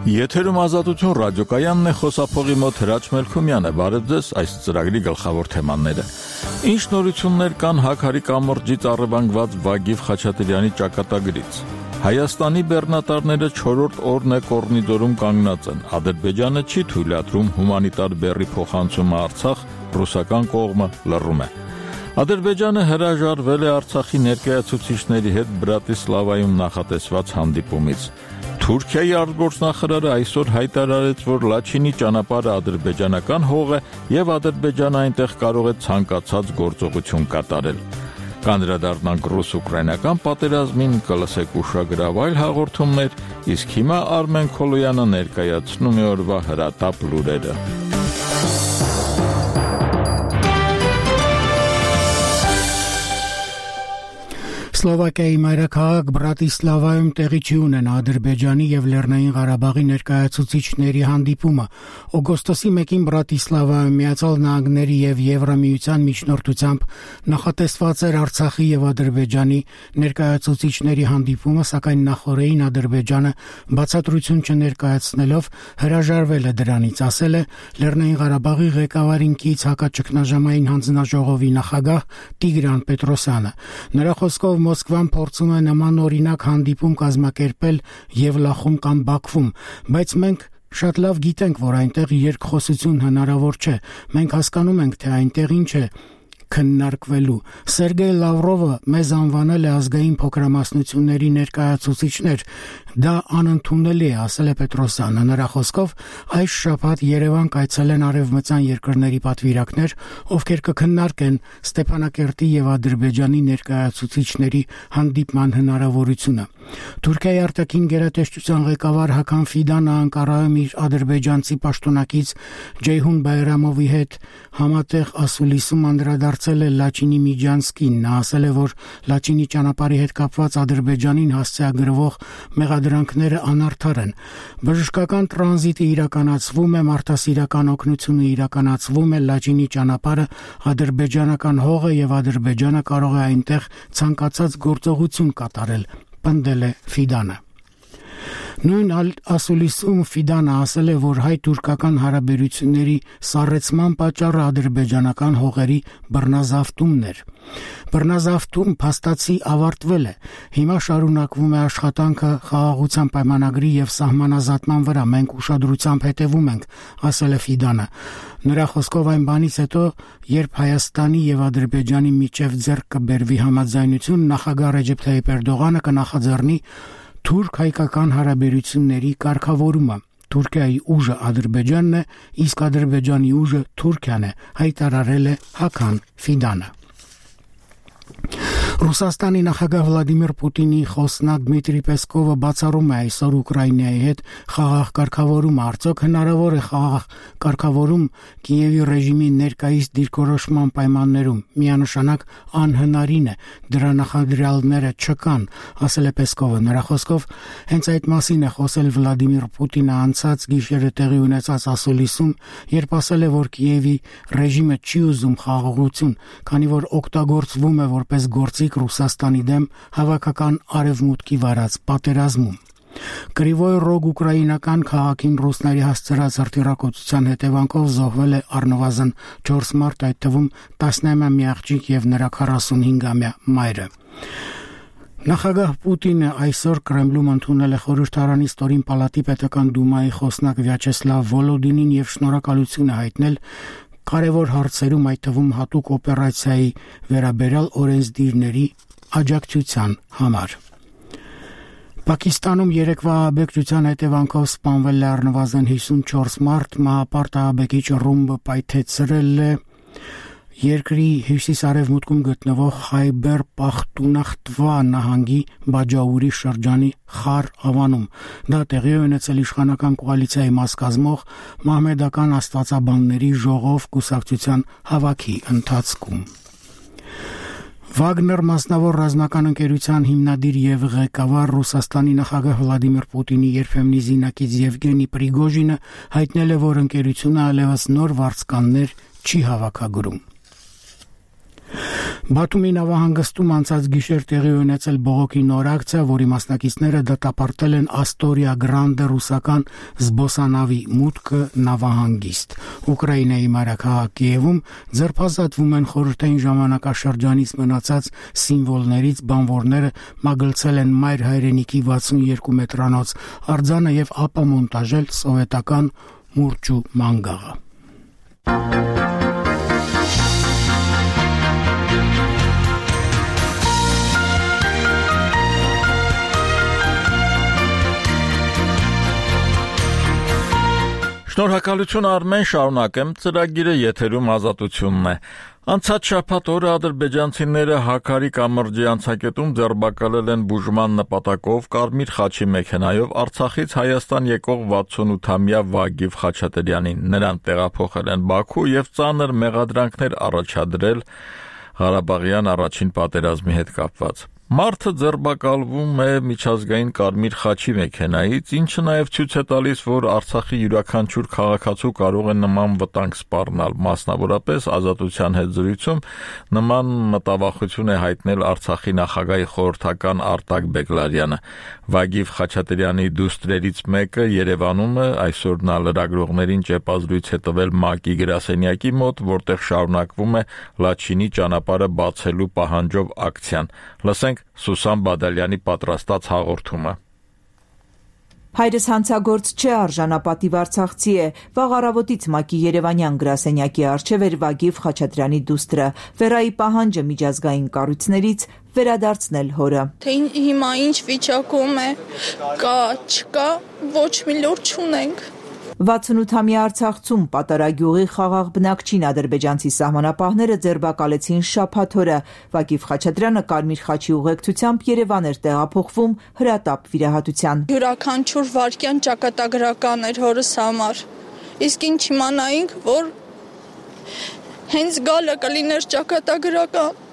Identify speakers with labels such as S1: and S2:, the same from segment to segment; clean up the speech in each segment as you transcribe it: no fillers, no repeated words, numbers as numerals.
S1: Եթերում Ազատություն ռադիոկայանն է, խոսափողի մոտ Հրաչ Մելքումյանը։ Բարև ձեզ, այս ծրագրի գլխավոր թեմաները։ Ինչ նորություններ կան Հաքարի կամրջից առևանգված Վագիվ Խաչատրյանի ճակատագրից։ Հայաստանի բեռնատարները 4-րդ օրն է Կորնիդորում կանգնած են։ Ադրբեջանը չի թույլատրում հումանիտար բեռի փոխանցումը Արցախ, ռուսական կողմը լռում է։ Ադրբեջանը հրաժարվել է Արցախի ներկայացուցիչների հետ Բրատիսլավայում նախատեսված հանդիպումից։ Թուրքիայի արտգործնախարարը այսօր հայտարարեց, որ Լաչինի ճանապարհը ադրբեջանական հող է եւ Ադրբեջանը այնտեղ կարող է ցանկացած գործողություն կատարել։ Կանդրադառնանք ռուս-ուկրաինական պատերազմին, կլսեք ուշագրավ այլ հաղորդումներ, իսկ հիմա Արմեն Քոլոյանը ներկայացնում է օրվա հրատապ լուրերը։
S2: Սլովակիայի մայրաքաղաք Բրատիսլավայում տեղի չի ունենա Ադրբեջանի եւ Լեռնային Ղարաբաղի ներկայացուցիչների հանդիպումը։ Օգոստոսի 1-ին Բրատիսլավայում Միացյալ Նահանգների եւ Եվրամիության միջնորդությամբ նախատեսված էր Արցախի եւ Ադրբեջանի ներկայացուցիչների հանդիպումը, սակայն նախորդին Ադրբեջանը բացատրություն չներկայացնելով հրաժարվել է դրանից, ասել է Լեռնային Ղարաբաղի ղեկավարին կից հակաճգնաժամային հանձնաժողովի նախագահ Տիգրան Պետրոսյանը։ Նրա խոսքով Մոսկվան փորձում է նման օրինակ հանդիպում կազմակերպել Եվլախում կամ Բաքվում, բայց մենք շատ լավ գիտենք, որ այնտեղ երկխոսություն հնարավոր չէ։ Մենք հասկանում ենք, թե այնտեղ ինչ է քննարկվելու։ Սերգեյ Լավրովը մեզ անվանել է ազգային փոքրամասնությունների ներկայացուցիչներ։ Դա անընդունելի է, ասել է Պետրոսյանը։ Նրա խոսքով այս շաբաթ Երևան կայցելեն արևմտյան երկրների պատվիրակներ, ովքեր կքննարկեն Ստեփանակերտի եւ Ադրբեջանի ներկայացուցիչների հանդիպման հնարավորությունը։ Թուրքիայի արտաքին գերատեսչության ղեկավար Հական Ֆիդանը Անկարայում իր ադրբեջանցի պաշտոնակից Ջեյհուն Բայրամովի հետ համատեղ ասուլիսում անդրադարձել է Լաչինի Միջանցկին։ Նա ասել է, որ Լաչինի ճանապարհի հետ կապված Ադրբեջանին հասցեագրվող մեղադրանքները անարդար են։ Բժշկական տրանզիտը իրականացվում է, մարդասիրական օգնությունը իրականացվում է, Լաչինի ճանապարհը ադրբեջանական հող է եւ Ադրբեջանը կարող է այնտեղ ցանկացած գործողություն կատարել, պնդել է Ֆիդանը։ Նույն ասուլիսում Ֆիդանը ասել է, որ հայ-թուրքական հարաբերությունների սառեցման պատճառը ադրբեջանական հողերի բռնազավթումն էր։ Բռնազավթում փաստացի ավարտվել է։ Հիմա շարունակվում է աշխատանքը խաղաղության պայմանագրի եւ սահմանազատման վրա։ Մենք ուշադրությամբ հետևում ենք, ասել է Ֆիդանը։ Նրա խոսքով այն բանից հետո, երբ Հայաստանի եւ Ադրբեջանի միջև ձեռք կբերվի համաձայնություն, նախագահ Ռեջեփ Թայիփ Էրդողանը կնախաձեռնի թուրք-հայկական հարաբերությունների կարգավորումը։ Թուրքիայի ուժը Ադրբեջանն է, իսկ Ադրբեջանի ուժը Թուրքիան է, հայտարարել է Հական Ֆիդանը։ Ռուսաստանի նախագահ Վլադիմիր Պուտինի խոսնակ Դմիտրի Պեսկովը բացառում է այսօր Ուկրաինայի հետ խաղաղ կարգավորումը։ Արդյոք հնարավոր է խաղաղ կարգավորում Կիևի ռեժիմի ներկայիս դիրքորոշման պայմաններում։ Միանշանակ անհնարին է, դրա նախադրյալները չկան, ասել է Պեսկովը։ Նրա խոսքով հենց այդ մասին է խոսել Վլադիմիր Պուտինը անցած գիշերը տեղի ունեցած ասուլիսում, երբ ասել է, որ Կիևի ռեժիմը չի ուզում խաղաղություն, քանի որ օգտագործվում է որպես գործիք Ռուսաստանի դեմ հավաքական արևմուտքի վարած պատերազմում։ Կրիվոյ Ռոգ ուկրաինական քաղաքին ռուսների հասցրած հրթիռակոծության հետևանքով զոհվել է առնվազն 4 մարդ, այդ թվում 19-ամյա աղջիկ եւ նրա 45-ամյա մայրը։ Նախագահ Պուտինը այսօր Կրեմլում ընդունել է խորհրդարանի ստորին պալատի պետական դումայի խոսնակ Վյաչեսլավ Վոլոդինին եւ շնորհակալություն հայտնել կարևոր հարցերում, այդ թվում հատուկ օպերացիայի վերաբերյալ օրենսդիրների աջակցության համար։ Պակիստանում երեկվա ահաբեկչության հետևանքով սպանվել է առնվազն 54 մարդ, մահապարտ ահաբեկիչ ռումբը պայթեցրել է երկրի հյուսիս-արևմուտքում գտնվող Խայբեր Պախտունախտվա նահանգի Բաջաուրի շրջանի Խար ավանում։ Դա տեղի ունեցել իշխանական կոալիցիայի մաս կազմող մահմեդական աստվածաբանների ժողով կուսակցության հավաքի ընթացքում։ Վագներ մասնավոր ռազմական ընկերության հիմնադիր եւ ղեկավար Ռուսաստանի նախագահ Վլադիմիր Պուտինի երբեմնի զինակից Եվգենի Պրիգոժինը հայտնել է, որ ընկերությունը այլևս նոր վարձկաններ չի հավաքագրում։ Բաթումի նավահանգստում անցած գիշեր տեղի ունեցել բողոքի նոր ակցիա, որի մասնակիցները դատապարտել են Astoria Grande ռուսական զբոսանավի մուտքը նավահանգիստ։ Ուկրաինայի մայրաքաղաք Կիևում ձերբազատվում են խորհրդային ժամանակաշրջանից մնացած սիմվոլներից, բանվորները մագլցել են մայր հայրենիքի 62 մետրանոց արձանը եւ ապամոնտաժել սովետական մուրճու մանգաղը։
S1: Շնորհակալություն Արմեն, շարունակեմ ծրագիրը եթերում ազատությունն է։ Անցած շաբաթ օրը ադրբեջանցիները Հաքարի կամրջի անցակետում ձերբակալել են բուժման նպատակով Կարմիր խաչի մեքենայով Արցախից Հայաստան եկող 68-ամյա Վագիվ Խաչատրյանին։ Նրան տեղափոխել են Բաքու եւ ծանր մեղադրանքներ առաջադրել Ղարաբաղյան առաջին պատերազմի հետ կապված։ Մարդը ձերբակալվում է միջազգային Կարմիր խաչի մեքենայից, ինչը նաև ցույց է տալիս, որ Արցախի յուրաքանչյուր քաղաքացու կարող է նման վտանգ սպառնալ, մասնավորապես Ազատության հետ զրույցում նման մտավախություն է հայտնել Արցախի նախագահի խորհրդական Արտակ Բեգլարյանը։ Վագիվ Խաչատրյանի դուստրերից մեկը Երևանում է, այսօր նա լրագրողներին ճեպազրույց է տվել ՄԱԿ-ի գրասենյակի մոտ, որտեղ շարունակվում է Լաչինի ճանապարհը բացելու պահանջով ակցիան։ Լսենք Սուսան Բադալյանի պատրաստած հաղորդումը։
S3: Հայրս հանցագործ չէ, արժանապատիվ արցախցի է։ Վաղ առավոտից ՄԱԿ-ի Երևանյան գրասենյակի առջև էր Վագիվ Խաչատրյանի դուստրը։ Վերայի պահանջը միջազգային կառույցներից վերադարձնել հորը։
S4: Թե հիմա ինչ վիճակում է, կա, չկա, ոչ մի լուր չունենք։
S3: 68-ամյա Արցախցում Պատարագյուղի խաղաղ բնակչին ադրբեջանցի սահմանապահները ձերբակալեցին շաբաթ օրը։ Վագիվ Խաչատրյանը Կարմիր խաչի ուղեկցությամբ Երևան էր տեղափոխվում հրատապ վիրահատության։
S4: Յուրաքանչյուր վայրկյան ճակատագրական էր հորս համար։ Իսկ ինչ իմանայինք, որ հենց գալը կլիներ ճակատագրական։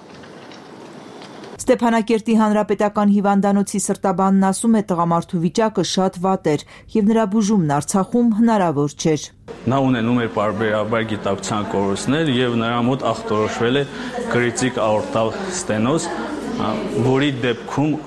S3: Ստեփանակերտի հանրապետական հիվանդանոցի սրտաբանն ասում է, տղամարդու վիճակը շատ վատ էր եւ նրա բուժումն Արցախում հնարավոր չէր։
S5: Նա ունենում էր պարբերաբար գիտակցության կորուստներ եւ նրա մոտ ախտորոշվել է կրիտիկ աորտալ ստենոզ, որի դեպքում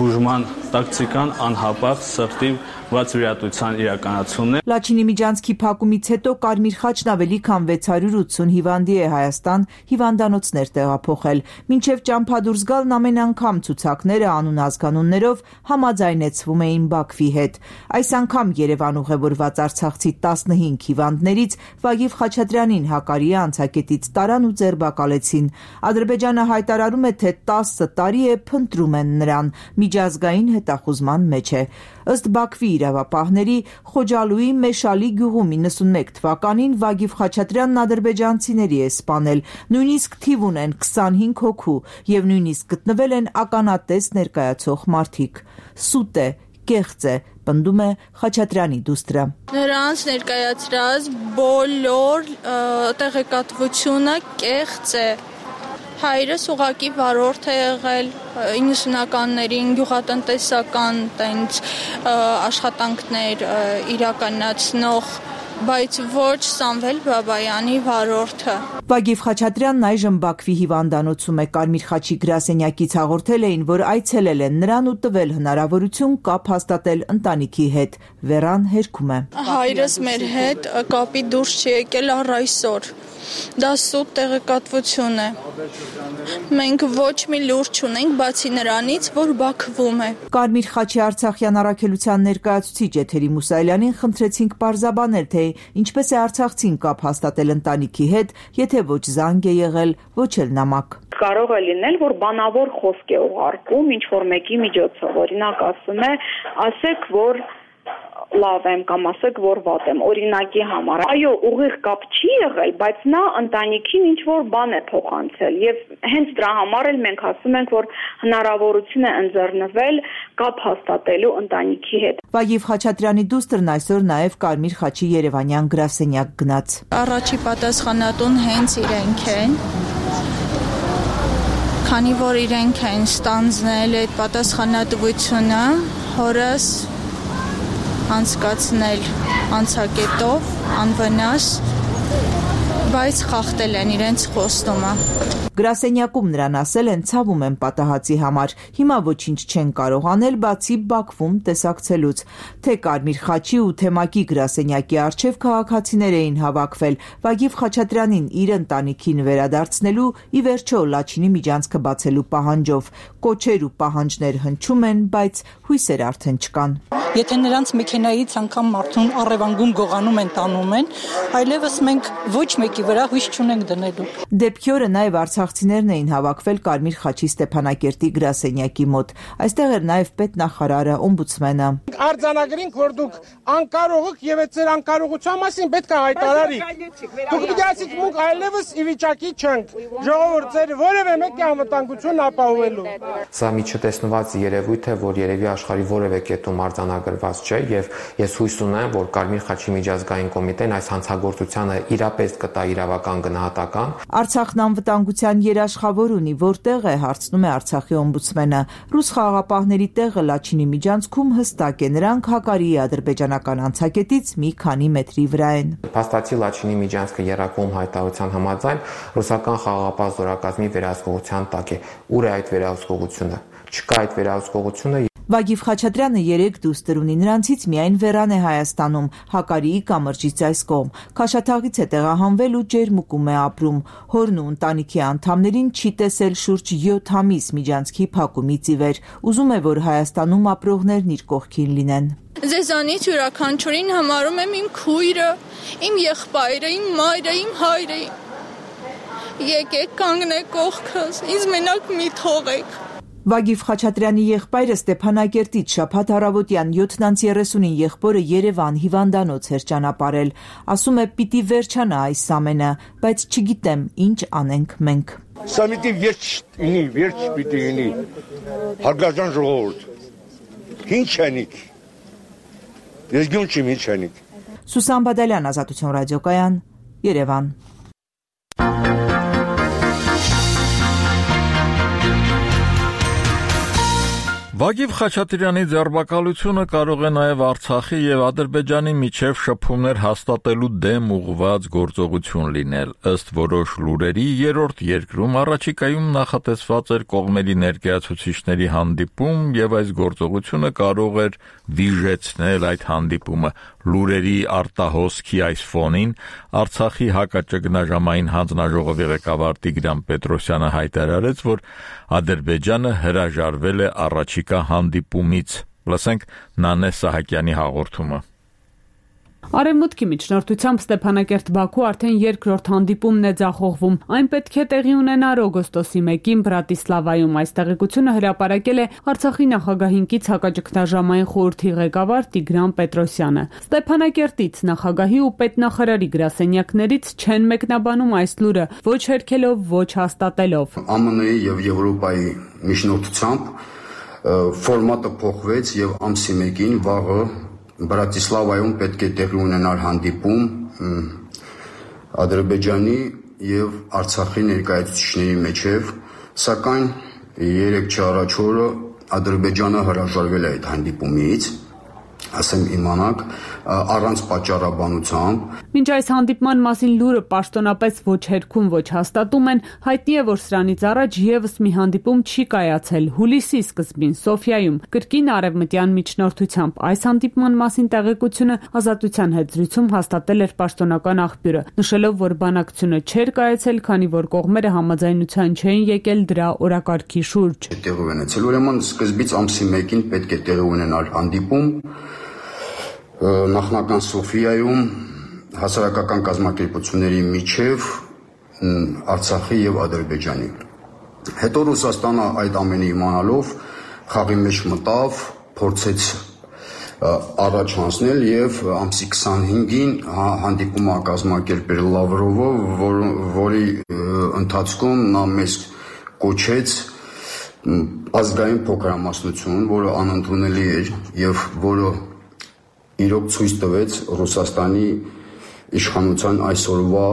S5: բուժման տակտիկան անհապաղ սրտի վատ վիրահատության իրականացումն է։
S3: Լաչինի միջանցքի փակումից հետո Կարմիր խաչն ավելի քան 680 հիվանդի է Հայաստան հիվանդանոցներ տեղափոխել։ Մինչև ճամփադուրս գալն ամեն անգամ ցուցակները անուն ազգանուններով համաձայնեցվում էին Բաքվի հետ։ Այս անգամ Երևան ուղևորված արցախցի 15 հիվանդներից Վագիվ Խաչատրյանին Հակարի անցակետից տարան ու ձերբակալեցին։ Ադրբեջանը հայտարարում է, թե 10 տարի է փնտրում են նրան, միջազգային հետախուզման մեջ է։ Ըստ Բաքվի իրավապահների, Խոջալուի Մեշալի գյուղում 91 թվականին Վագիվ Խաչատրյանն ադրբեջանցիների է սպանել, նույնիսկ թիվ ունեն 25 հոգու եւ նույնիսկ գտնվել են ականատես ներկայացող մարդիկ։ Սուտ է, կեղծ է, պնդում է Խաչատրյանի դուստրը։
S4: Նրանց ներկայացրած բոլոր տեղեկատվությունը կեղծ է։ Հայրս ուղակի վարորդ է եղել 90-ականներին գյուղատնտեսական տենց աշխատանքներ իրականացնող, բայց ոչ Սամվել Բաբայանի վարորդը։
S3: Վագիվ Խաչատրյանն այժմ Բաքվի հիվանդանոցում է։ Կարմիր խաչի գրասենյակից հաղորդել էին, որ այցելել են նրան ու տվել հնարավորություն կապ հաստատել ընտանիքի հետ։ Վերան հերքում է։
S4: Հայրս մեր հետ կապի դուրս չի եկել առ այսօր։ Դա սուտ տեղեկատվություն է։ Մենք ոչ մի լուր չունենք, բացի նրանից, որ Բաքվում է։
S3: Կարմիր խաչի Արցախյան առաքելության ներկայացուցիչ Էթերի Մուսայելյանին խնդրեցինք պարզաբանել, թե ինչպես է արցախցին կապ հաստատել ընտանիքի հետ, եթե ոչ զանգ է եղել, ոչ էլ նամակ։
S6: Կարող է լինել, որ բանավոր խոսք է ուղարկում ինչ-որ մեկի միջոցով, օրինակ ասում է, ասեք, որ լավ եմ կամ ասեք, որ վատ եմ, օրինակի համար։ Այո, ուղիղ կապ չի եղել, բայց նա ընտանիքին ինչ-որ բան է փոխանցել եւ հենց դրա համար էլ մենք ասում ենք, որ հնարավորություն է ընձեռնվել կապ հաստատելու ընտանիքի հետ։
S3: Վագիվ Խաչատրյանի դուստրն այսօր նաեւ Կարմիր խաչի Երևանյան գրասենյակ գնաց։
S4: Առաջի պատասխանատուն հենց իրենք են։ Քանի որ իրենք են ստանձնել այդ պատասխանատվությունը, հորս անցկացնել անցակետով, անվնաս բայց խախտել են իրենց խոստումը։
S3: Գրասենյակում նրան ասել են ցավում են պատահածի համար, հիմա ոչինչ չեն կարող անել, բացի Բաքվում տեսակցելուց։ Թե Կարմիր խաչի ու Թեմակի գրասենյակի առջև քաղաքացիներ էին հավաքվել, Վագիվ Խաչատրյանին իր ընտանիքին վերադարձնելու, ի վերջո Լաչինի միջանցքը բացելու պահանջով։ Կոչեր ու պահանջներ հնչում են, բայց հույսեր արդեն չկան։
S7: Եթե նրանց մեքենայից անգամ մարդուն առևանգում գողանում են տանում են, այլևս մենք ոչ մեկի վրա հույս չունենք դնելու։
S3: Դեպքի օրը նաև արցախցիներն էին հավաքվել Կարմիր խաչի Ստեփանակերտի գրասենյակի մոտ։ Այստեղ էր նաև պետնախարարը, օմբուդսմենը։
S8: Արձանագրինք, որ դուք անկարող եք եւ այդ ձեր անկարողության մասին պետք է հայտարարիք։ Դուք պիտի ասիք մենք այլևս ի վիճակի չենք ժողովուրդ ձեր որևէ մեկի անվտանգությունն ապահովելու։
S9: Սա մի չտեսնված երևույթ է, որ երևի աշխարհի որևէ կետում արձանագրված չէ եւ ես հույս ունեմ, որ Կարմիր խաչի միջազգային կոմիտեն այս հանցագործությանը իրապես կտա իրավական գնահատական։
S3: Արցախն անվտանգության երաշխավոր ունի, որտեղ է, հարցնում է Արցախի օմբուդսմենը։ Ռուս խաղաղապահների տեղը Լաչինի միջանցքում հստակ է, նրանք Հակարիի ադրբեջանական անցակետից մի քանի մետրի վրա են։
S9: Փաստացի Լաչինի միջանցքը երակվում հայտարարության համաձայն ռուսական խաղաղապահ զորակազմի վերահսկողության տակ է։ Ուր է այդ վերահսկողությունը։ Չկա այդ վերահսկողությունը։
S3: Վագիվ Խաչատրյանը 3 դուստր ունի, նրանցից միայն Վերան է Հայաստանում, Հակարիի կամրջից այս կողմ։ Քաշաթաղից է տեղահանվել ու ջերմուկում է ապրում։ Հորն ու ընտանիքի անդամներին չի տեսել շուրջ 7 ամիս միջանցքի փակումից ի վեր։ Ուզում է, որ Հայաստանում ապրողներն իր կողքին լինեն։
S4: Ձեզանից յուրաքանչյուրին համարում եմ իմ քույրը, իմ եղբայրը, իմ մայրը, իմ հայրը։ Եկեք կանգնեք կողքս, ինձ մենակ մի թողեք։
S3: Վագիվ Խաչատրյանի եղբայրը Ստեփանակերտից շաբաթ առավոտյան 7:30-ին եղբորը Երևան հիվանդանոց էր ճանապարհել։ Ասում է՝ պիտի վերջանա այս ամենը, բայց չգիտեմ ինչ անենք մենք։
S8: Սա պիտի վերջ պիտի լինի։ Հարգարժան ժողովուրդ։ Ինչ անիք։ Ես գյուն չեմ ինչ անիք։
S3: Սուսան Բադալյան, Ազատություն ռադիոկայան, Երևան։
S1: Վագիվ Խաչատրյանի ձերբակալությունը կարող է նաև Արցախի եւ Ադրբեջանի միջև շփումներ հաստատելու դեմ ուղղված գործողություն լինել։ Ըստ որոշ լուրերի, երրորդ երկրում առաջիկայում նախատեսված էր կողմերի ներկայացուցիչների հանդիպում եւ այս գործողությունը կարող էր վիժեցնել այդ հանդիպումը։ Լուրերի արտահոսքի այս ֆոնին Արցախի հակաճգնաժամային հանձնաժողովի ղեկավար Տիգրան Պետրոսյանը հայտարարեց, որ Ադրբեջանը հրաժարվել է առաջիկա հանդիպումից։ Լսենք Նանե Սահակյանի հաղորդումը։
S10: Արևմուտքի միջնորդությամբ Ստեփանակերտ-Բաքու արդեն երկրորդ հանդիպումն է ձախողվում։ Այն պետք է տեղի ունենար օգոստոսի 1-ին Բրատիսլավայում։ Այս տեղեկությունը հրապարակել է Արցախի նախագահին կից հակաճգնաժամային խորհրդի ղեկավար Տիգրան Պետրոսյանը։ Ստեփանակերտից նախագահի ու պետնախարարի գրասենյակներից չեն մեկնաբանում այս լուրը, ոչ հերքելով, ոչ հաստատելով։
S11: ԱՄՆ-ի եւ Եվրոպայի միջնորդությամբ ֆորմատը փոխվեց եւ ամսի 1-ին վաղը Բրատիսլավայում պետք է տեղի ունենար հանդիպում Ադրբեջանի եւ Արցախի ներկայացուցիչների միջև, սակայն 3 առաջ օրը Ադրբեջանը հրաժարվել է այդ հանդիպումից, ասեմ իմանաք, առանց պատճառաբանությամբ։
S10: Մինչ այս հանդիպման մասին լուրը պաշտոնապես ոչ հերքում, ոչ հաստատում են, հայտնի է, որ սրանից առաջ եւս մի հանդիպում չի կայացել հուլիսի սկզբին Սոֆիայում, կրկին արևմտյան միջնորդությամբ։ Այս հանդիպման մասին տեղեկությունը Ազատության հետ զրույցում հաստատել էր պաշտոնական աղբյուրը, նշելով, որ բանակցությունը չէր կայացել, քանի որ կողմերը համաձայնության չէին եկել դրա օրակարգի շուրջ։
S11: Տեղի ունեցել, ուրեմն սկզբից ամսի 1-ին պետք է տեղի ունենալ հանդիպում նախնական Սոֆիայում հասարակական կազմակերպությունների միջև Արցախի եւ Ադրբեջանի։ Հետո Ռուսաստանը այդ ամենը իմանալով խաղի մեջ մտավ, փորձեց առաջ հանձնել եւ ամսի 25-ին հանդիպումը կազմակերպել Լավրովը, որի ընթացքում նա մեզ կոչեց ազգային փոքրամասնություն, որը անընդունելի էր եւ որը իրոք ցույց տվեց Ռուսաստանի իշխանության այսօրվա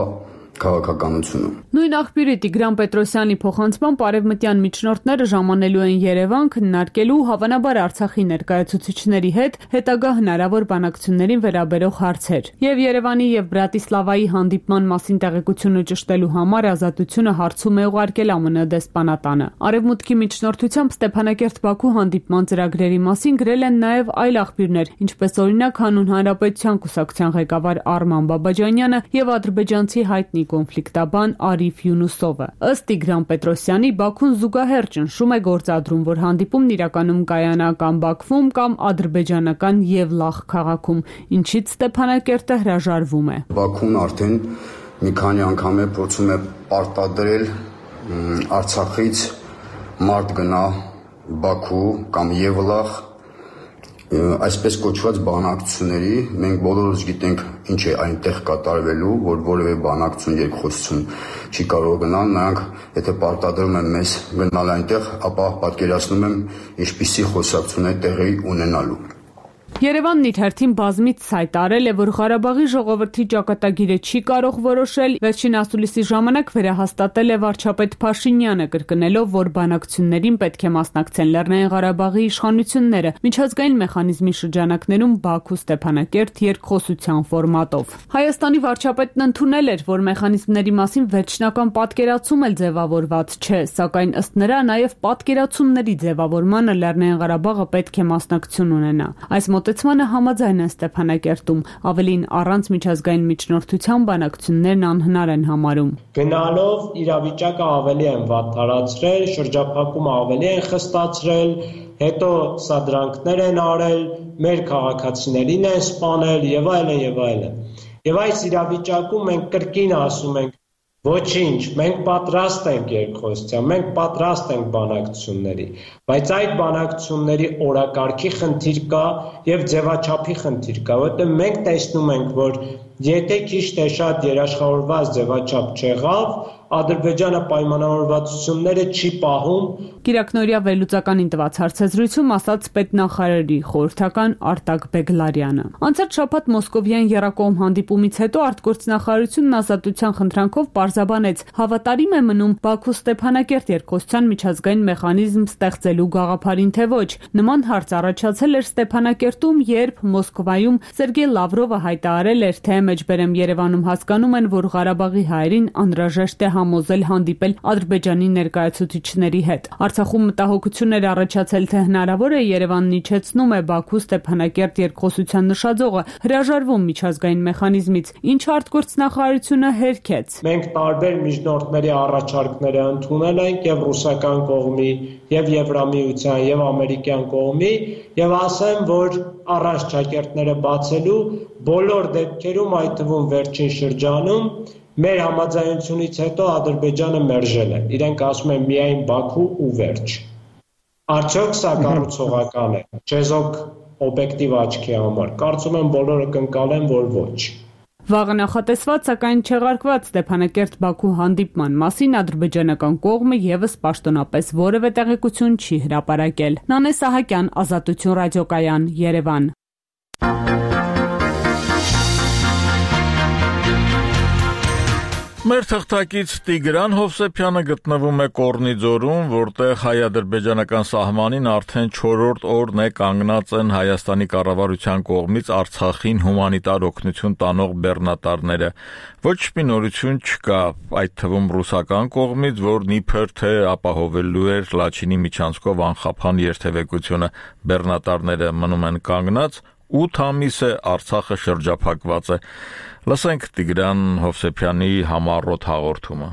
S11: քաղաքականությունը։
S10: Նույն աղբյուրի Տիգրան Պետրոսյանի փոխանցմամբ արևմտյան միջնորդները ժամանելու են Երևան քննարկելու հավանաբար Արցախի ներկայացուցիչների հետ հետագա հնարավոր բանակցություններին վերաբերող հարցեր։ Եվ Երևանի եւ Բրատիսլավայի հանդիպման մասին տեղեկությունը ճշտելու համար Ազատությունը հարցում է ուղարկել ԱՄՆ դեսպանատանը։ Արևմուտքի միջնորդությամբ Ստեփանակերտ-Բաքու հանդիպման ծրագրերի մասին գրել են նաեւ այլ աղբյուրներ, ինչպես օրինակ Հանուն Հանրապետության կուսակցության ղեկավար Արման Բաբաջանյանը եւ ադրբեջանցի հայտնի կոնֆլիկտաբան Արիֆ Յունուսովը։ Ըստ Տիգրան Պետրոսյանի, Բաքուն զուգահեռ ճնշում է գործադրում, որ հանդիպումն իրականում կայանա կամ Բաքվում, կամ ադրբեջանական Եվլախ քաղաքում, ինչից Ստեփանակերտը հրաժարվում է։
S11: Բաքուն արդեն մի քանի անգամ է փորձում է պարտադրել Արցախից մարդ գնա Բաքու կամ Եվլախ այսպես կոչված բանակցությունների, մենք բոլորս գիտենք ինչ է այնտեղ կատարվելու, որ որևէ բանակցություն երկխոսություն չի կարող գնալ, նրանք եթե պարտադրում են մեզ գնալ այնտեղ, ապա պատկերացնում եմ ինչպիսի խոսակցություն է տեղի ունենալու։
S10: Երևանն իր հերթին բազմից հայտարարել է, որ Ղարաբաղի ժողովրդի ճակատագիրը չի կարող որոշել, վերջին ասուլիսի ժամանակ վերահաստատել է վարչապետ Փաշինյանը, կրկնելով, որ բանակցություններին պետք է մասնակցեն Լեռնային Ղարաբաղի իշխանությունները, միջազգային մեխանիզմի շրջանակներում Բաքու-Ստեփանակերտ երկխոսության ֆորմատով։ Հայաստանի վարչապետն ընդունել էր, որ մեխանիզմների մասին վերջնական պատկերացում էլ ձևավորված չէ, սակայն ըստ նրա նաև պատկերացումների ձևավորմանը Լեռնային Ղարաբաղը պետք է մասնակցություն ունենա։ Այս մոտեցմանը համաձայն են Ստեփանակերտում, ավելին առանց միջազգային միջնորդության բանակցություններն անհնար են համարում։
S12: Գնալով իրավիճակը ավելի են վատթարացրել, շրջափակումը ավելի են խստացրել, հետո սադրանքներ են արել, մեր քաղաքացիներին են սպանել եւ այլն եւ այլն։ Եվ այս իրավիճակում մենք կրկին ասում ենք ոչինչ, մենք պատրաստ ենք երկխոսության, մենք պատրաստ ենք բանակցությունների, բայց այդ բանակցությունների օրակարգի խնդիր կա եւ ձևաչափի խնդիր կա, որտեղ մենք տեսնում ենք, որ եթե քիչ թե շատ երաշխավորված ձևաչափ չեղավ, Ադրբեջանը պայմանավորվածությունները չի պահում։
S10: Կիրակնօրյա վերլուծականին տված հարցազրույցում ասաց պետնախարարի խորհրդական Արտակ Բեգլարյանը։ Անցած շաբաթ Մոսկովյան եռակողմ հանդիպումից հետո արտգործնախարարությունն Ազատության խնդրանքով պարզաբանեց, հավատարիմ է մնում Բաքու-Ստեփանակերտ երկխոսության միջազգային մեխանիզմ ստեղծելու գաղափարին, թե ոչ։ Նման հարց առաջացել էր Ստեփանակերտում, երբ Մոսկվայում Սերգեյ Լավրովը հայտարարել էր, թե մեջբերեմ Երևանում հասկանում են, որ Ղարաբաղի հայերին անհրաժեշտ է համոզել հանդիպել Ադրբեջանի ներկայացուցիչների հետ։ Արցախում մտահոգություն էր առաջացել, թե հնարավոր է Երևանն իջեցնում է Բաքու-Ստեփանակերտ երկխոսության նշաձողը, հրաժարվում միջազգային մեխանիզմից, ինչ արտգործնախարարությունը հերքեց։
S12: Մենք տարբեր միջնորդների առաջարկները ընդունել ենք եւ ռուսական կողմի, եւ Եվրամիության, եւ ամերիկյան կողմի, եւ ասեմ, որ առանց ճակերտները բացելու բոլոր դեպքերում, այդ թվում վերջին շրջանում մեր համաձայնությունից հետո Ադրբեջանը մերժել է։ Իրենք ասում են միայն Բաքու ու վերջ։ Արդյոք սա կառուցողական է, չեզոք օբյեկտիվ աչքի համար։ Կարծում եմ բոլորը կընկալեն, որ ոչ։
S10: Վաղը նախատեսված, սակայն չեղարկված Ստեփանակերտ-Բաքու հանդիպման մասին ադրբեջանական կողմը եւս պաշտոնապես որևէ տեղեկություն չի հրապարակել։ Նանե Սահակյան, Ազատություն ռադիոկայան, Երևան։
S1: Մեր թղթակից Տիգրան Հովսեփյանը գտնվում է Կոռնիձորում, որտեղ հայ-ադրբեջանական սահմանին արդեն 4-րդ օրն է կանգնած են Հայաստանի կառավարության կողմից Արցախին հումանիտար օգնություն տանող բեռնատարները։ Ոչ մի նորություն չկա, այդ թվում ռուսական կողմից, որն իբր թե ապահովելու էր Լաչինի միջանցքով անխափան երթևեկությունը։ Բեռնատարները մնում են կանգնած, 8 ամիս է Արցախը շրջափակված է։ Լսենք Տիգրան Հովսեփյանի համառոտ հաղորդումը։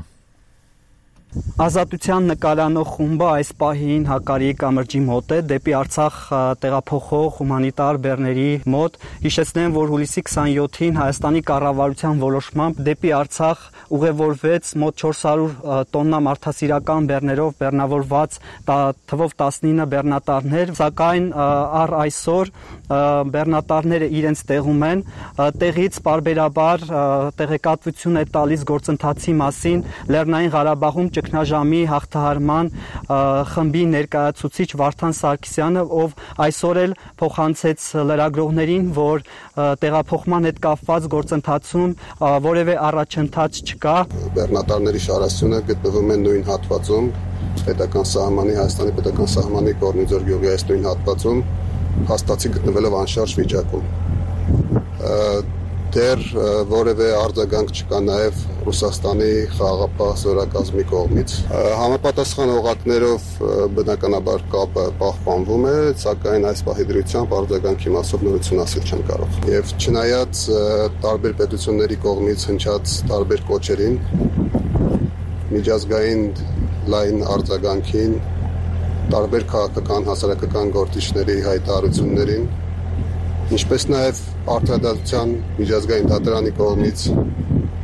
S13: Ազատության նկարանող խումբը այս պահին Հակարիի կամրջի մոտ է, դեպի Արցախ տեղափոխող հումանիտար բեռների մոտ։ Հիշեցնեմ, որ հուլիսի 27-ին Հայաստանի կառավարության որոշմամբ դեպի Արցախ ուղևորվեց մոտ 400 տոննա մարդասիրական բեռներով բեռնավորված թվով 19 բեռնատարներ, սակայն առ այսօր բեռնատարները իրենց տեղում են, տեղից պարբերաբար տեղեկատվություն է տալիս գործընթացի մասին Լեռնային Ղարաբաղում ճգնաժամի հաղթահարման խմբի ներկայացուցիչ Վարդան Սարգսյանը, ով այսօր էլ փոխանցեց լրագրողներին, որ տեղափոխման հետ կապված գործընթացում որևէ առաջընթաց չկա։
S14: Բեռնատարների շարասյունը գտնվում է նույն հատվածում, պետական սահմանի, Հայաստանի պետական սահմանի Կորնիձոր գյուղի այս նույն հատվածում, հաստատի գտնվելով անշարժ վիճակում։ Դեռ որևէ արձագանք չկա նաև Ռուսաստանի խաղաղապահ զորակազմի կողմից։ Համապատասխան օղակներով բնականաբար կապը պահպանվում է, սակայն այս պահի դրությամբ արձագանքի մասով նորություն ասել չեմ կարող։ Եվ չնայած տարբեր պետությունների կողմից հնչած տարբեր կոչերին, միջազգային լայն արձագանքին, տարբեր քաղաքական հասարակական գործիչների հայտարարություններին, ինչպես նաև Արդարադատության միջազգային դատարանի կողմից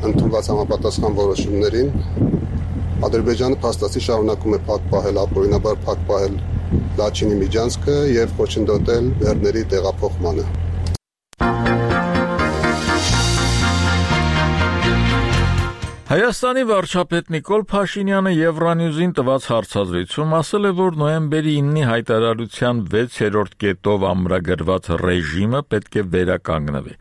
S14: ընդունված համապատասխան որոշումներին, Ադրբեջանը փաստացի շարունակում է փակ պահել, ապօրինաբար փակ պահել Լաչինի միջանցքը եւ խոչընդոտել բեռների տեղափոխմանը։
S1: Հայաստանի վարչապետ Նիկոլ Փաշինյանը Եվրանյուզին տված հարցազրույցում ասել է, որ նոյեմբերի 9-ի հայտարարության 6-րդ կետով ամրագրված ռեժիմը պետք է վերականգնվի։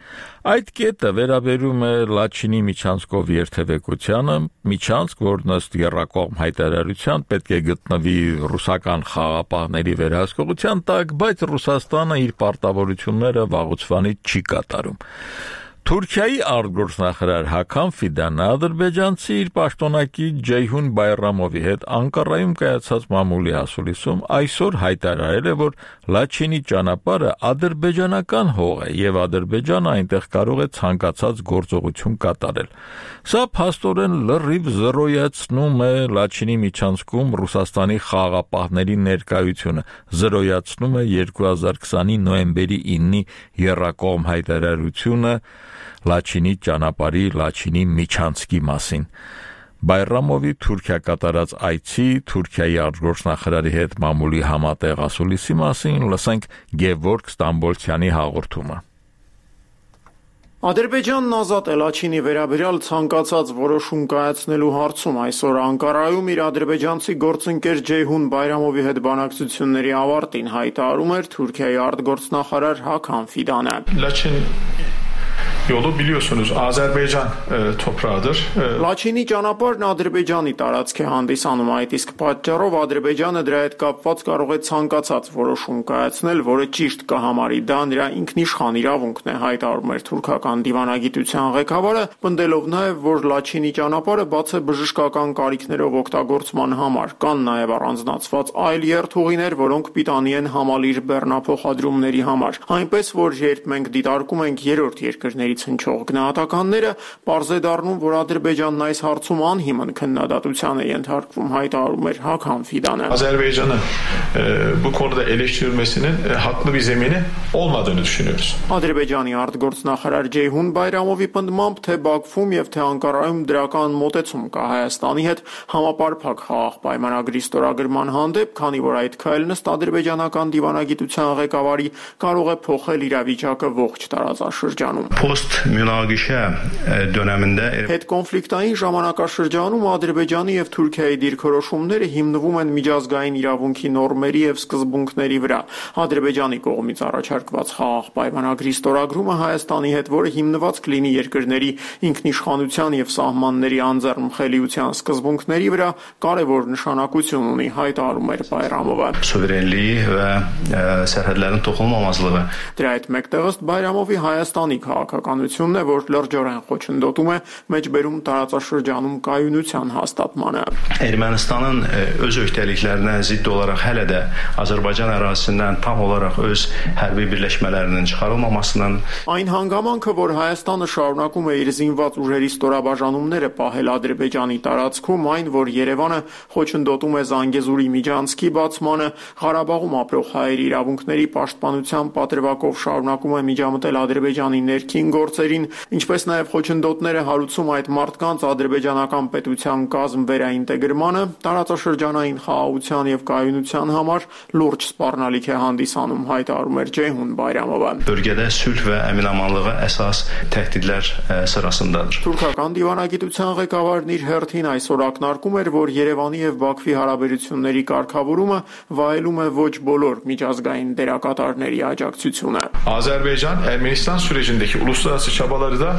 S1: Այդ կետը վերաբերում է Լաչինի միջանցքով երթևեկությանը, միջանցք, որ ըստ եռակողմ հայտարարության պետք է գտնվի ռուսական խաղաղապահների վերահսկողության տակ, բայց Ռուսաստանը իր պարտավորությունները վաղուց չի կատարում։ Թուրքիայի արտգործնախարար Հական Ֆիդանը ադրբեջանցի իր պաշտոնակի Ջեյհուն Բայրամովի հետ Անկարայում կայացած մամուլի ասուլիսում այսօր հայտարարել է, որ Լաչինի ճանապարհը ադրբեջանական հող է եւ Ադրբեջանը այնտեղ կարող է ցանկացած գործողություն կատարել։ Սա փաստորեն լրիվ զրոյացնում է Լաչինի միջանցքում Ռուսաստանի խաղաղապահների ներկայությունը, զրոյացնում է 2020-ի նոյեմբերի 9-ի եռակողմ հայտարարությունը Լաչինի ճանապարհի Լաչինի միջանցքի մասին։ Բայրամովի Թուրքիա կատարած այցի Թուրքիայի արտգործնախարարի հետ մամուլի համատեղ ասուլիսի մասին լսենք Գևորգ Ստամբոլցյանի հաղորդումը։
S15: Ադրբեջանն ազատ է Լաչինի վերաբերյալ ցանկացած որոշում կայացնելու հարցում այսօր Անկարայում իր ադրբեջանցի գործընկեր Ջեյհուն Բայրամովի հետ բանակցությունների ավարտին հայտարարում էր Թուրքիայի արտգործնախարար Hakan Fidanı.
S16: Yolu biliyorsunuz Azerbaycan toprağıdır.
S15: Լաչինի ճանապարհն Ադրբեջանի տարածք է հանդիսանում, այդ իսկ պատճառով Ադրբեջանը դրա հետ կապված կարող է ցանկացած որոշում կայացնել, որը ճիշտ կհամարի, դա նրա ինքնիշխան իրավունքն է, հայտարարում էր թուրքական դիվանագիտության ղեկավարը, պնդելով նաև, որ Լաչինի ճանապարհը բաց է բժշկական կարիքներով օգտագործման համար, կան նաև առանձնացված այլ երթուղիներ, որոնք պիտանի են համալիր բեռնափոխադրումների համար, այնպես որ երբ մենք դիտարկում ենք երրորդ երկրների հնչող գնահատականները, պարզ է դառնում, որ Ադրբեջանն այս հարցում անհիմն քննադատության է ենթարկվում, հայտարարում էր Hakan Fidanı.
S16: Azerbaycan'ı bu konuda eleştirilmesinin haklı bir zemini olmadığını düşünüyoruz.
S15: Ադրբեջանի արտգործնախարար Ջեյհուն Բայրամովի պնդմամբ թե Բաքվում եւ թե Անկարայում դրական մոտեցում կա Հայաստանի հետ համապարփակ խաղաղ պայմանագրի ստորագրման hանդեպ, քանի որ այդ քայլն ըստ ադրբեջանական դիվանագիտության ղեկավարի կարող է փոխել իրավիճակը ողջ տարածաշրջանում։
S16: Post-münaqişə dönemində
S15: Հետկոնֆլիկտային ժամանակաշրջանում Ադրբեջանի եւ Թուրքիայի դիրքորոշումները հիմնվում են միջազգային իրավունքի նորմերի եւ սկզբունքների վրա։ Ադրբեջանի կողմից առաջարկված խաղաղ պայմանագրի ստորագրումը Հայաստանի հետ, որը հիմնված կլինի երկրների ինքնիշխանության եւ սահմանների անձեռնմխելիության սկզբունքների վրա, կարևոր նշանակություն ունի, հայտարարում էր Բայրամովը։
S16: Suverenliyi və sərhədlərin toxunulmamazlığı.
S15: Դրա հետ մեկտեղ ըստ Բայրամովի Հայաստանի քաղաքականությունն է, որ լրջորեն խոչընդոտում է մեջբերում տարածաշրջանում կայունության հաստատմանը։
S16: Ermənistanın öz öhdəliklərinə zidd olaraq hələ də Azərbaycan ərazisindən tam olaraq öz hərbi birləşmələrinin çıxarılmamasının
S15: Այն հանգամանքը, որ Հայաստանը շարունակում է իր զինված ուժերի ստորաբաժանումները պահել Ադրբեջանի տարածքում, այն, որ Երևանը խոչընդոտում է Զանգեզուրի միջանցքի բացմանը, Ղարաբաղում ապրող հայերի իրավունքների պաշտպանության պատրվակով շարունակում է միջամտել Ադրբեջանի ներքին գործերին, ինչպես նաև խոչընդոտները հարուցում այդ մարդկանց ադրբեջանական պետության կազմ վերաինտեգրմանը, տարածաշրջանային խաղաղության եւ կայունության համար լուրջ սպառնալիք է հանդիսանում, հայտարարում էր Ceyhun Bayramova.
S16: Bölgədə sülh və əmin-amanlığa əsas təhdidlər sırasındadır.
S15: Թուրքական դիվանագիտության ղեկավարն իր հերթին այսօր ակնարկում էր, որ Երևանի եւ Բաքվի հարաբերությունների կարգավորումը վայելում է ոչ բոլոր միջազգային դերակատարների աջակցությունը.
S17: Azerbaycan-Ermenistan sürecindeki uluslararası çabaları da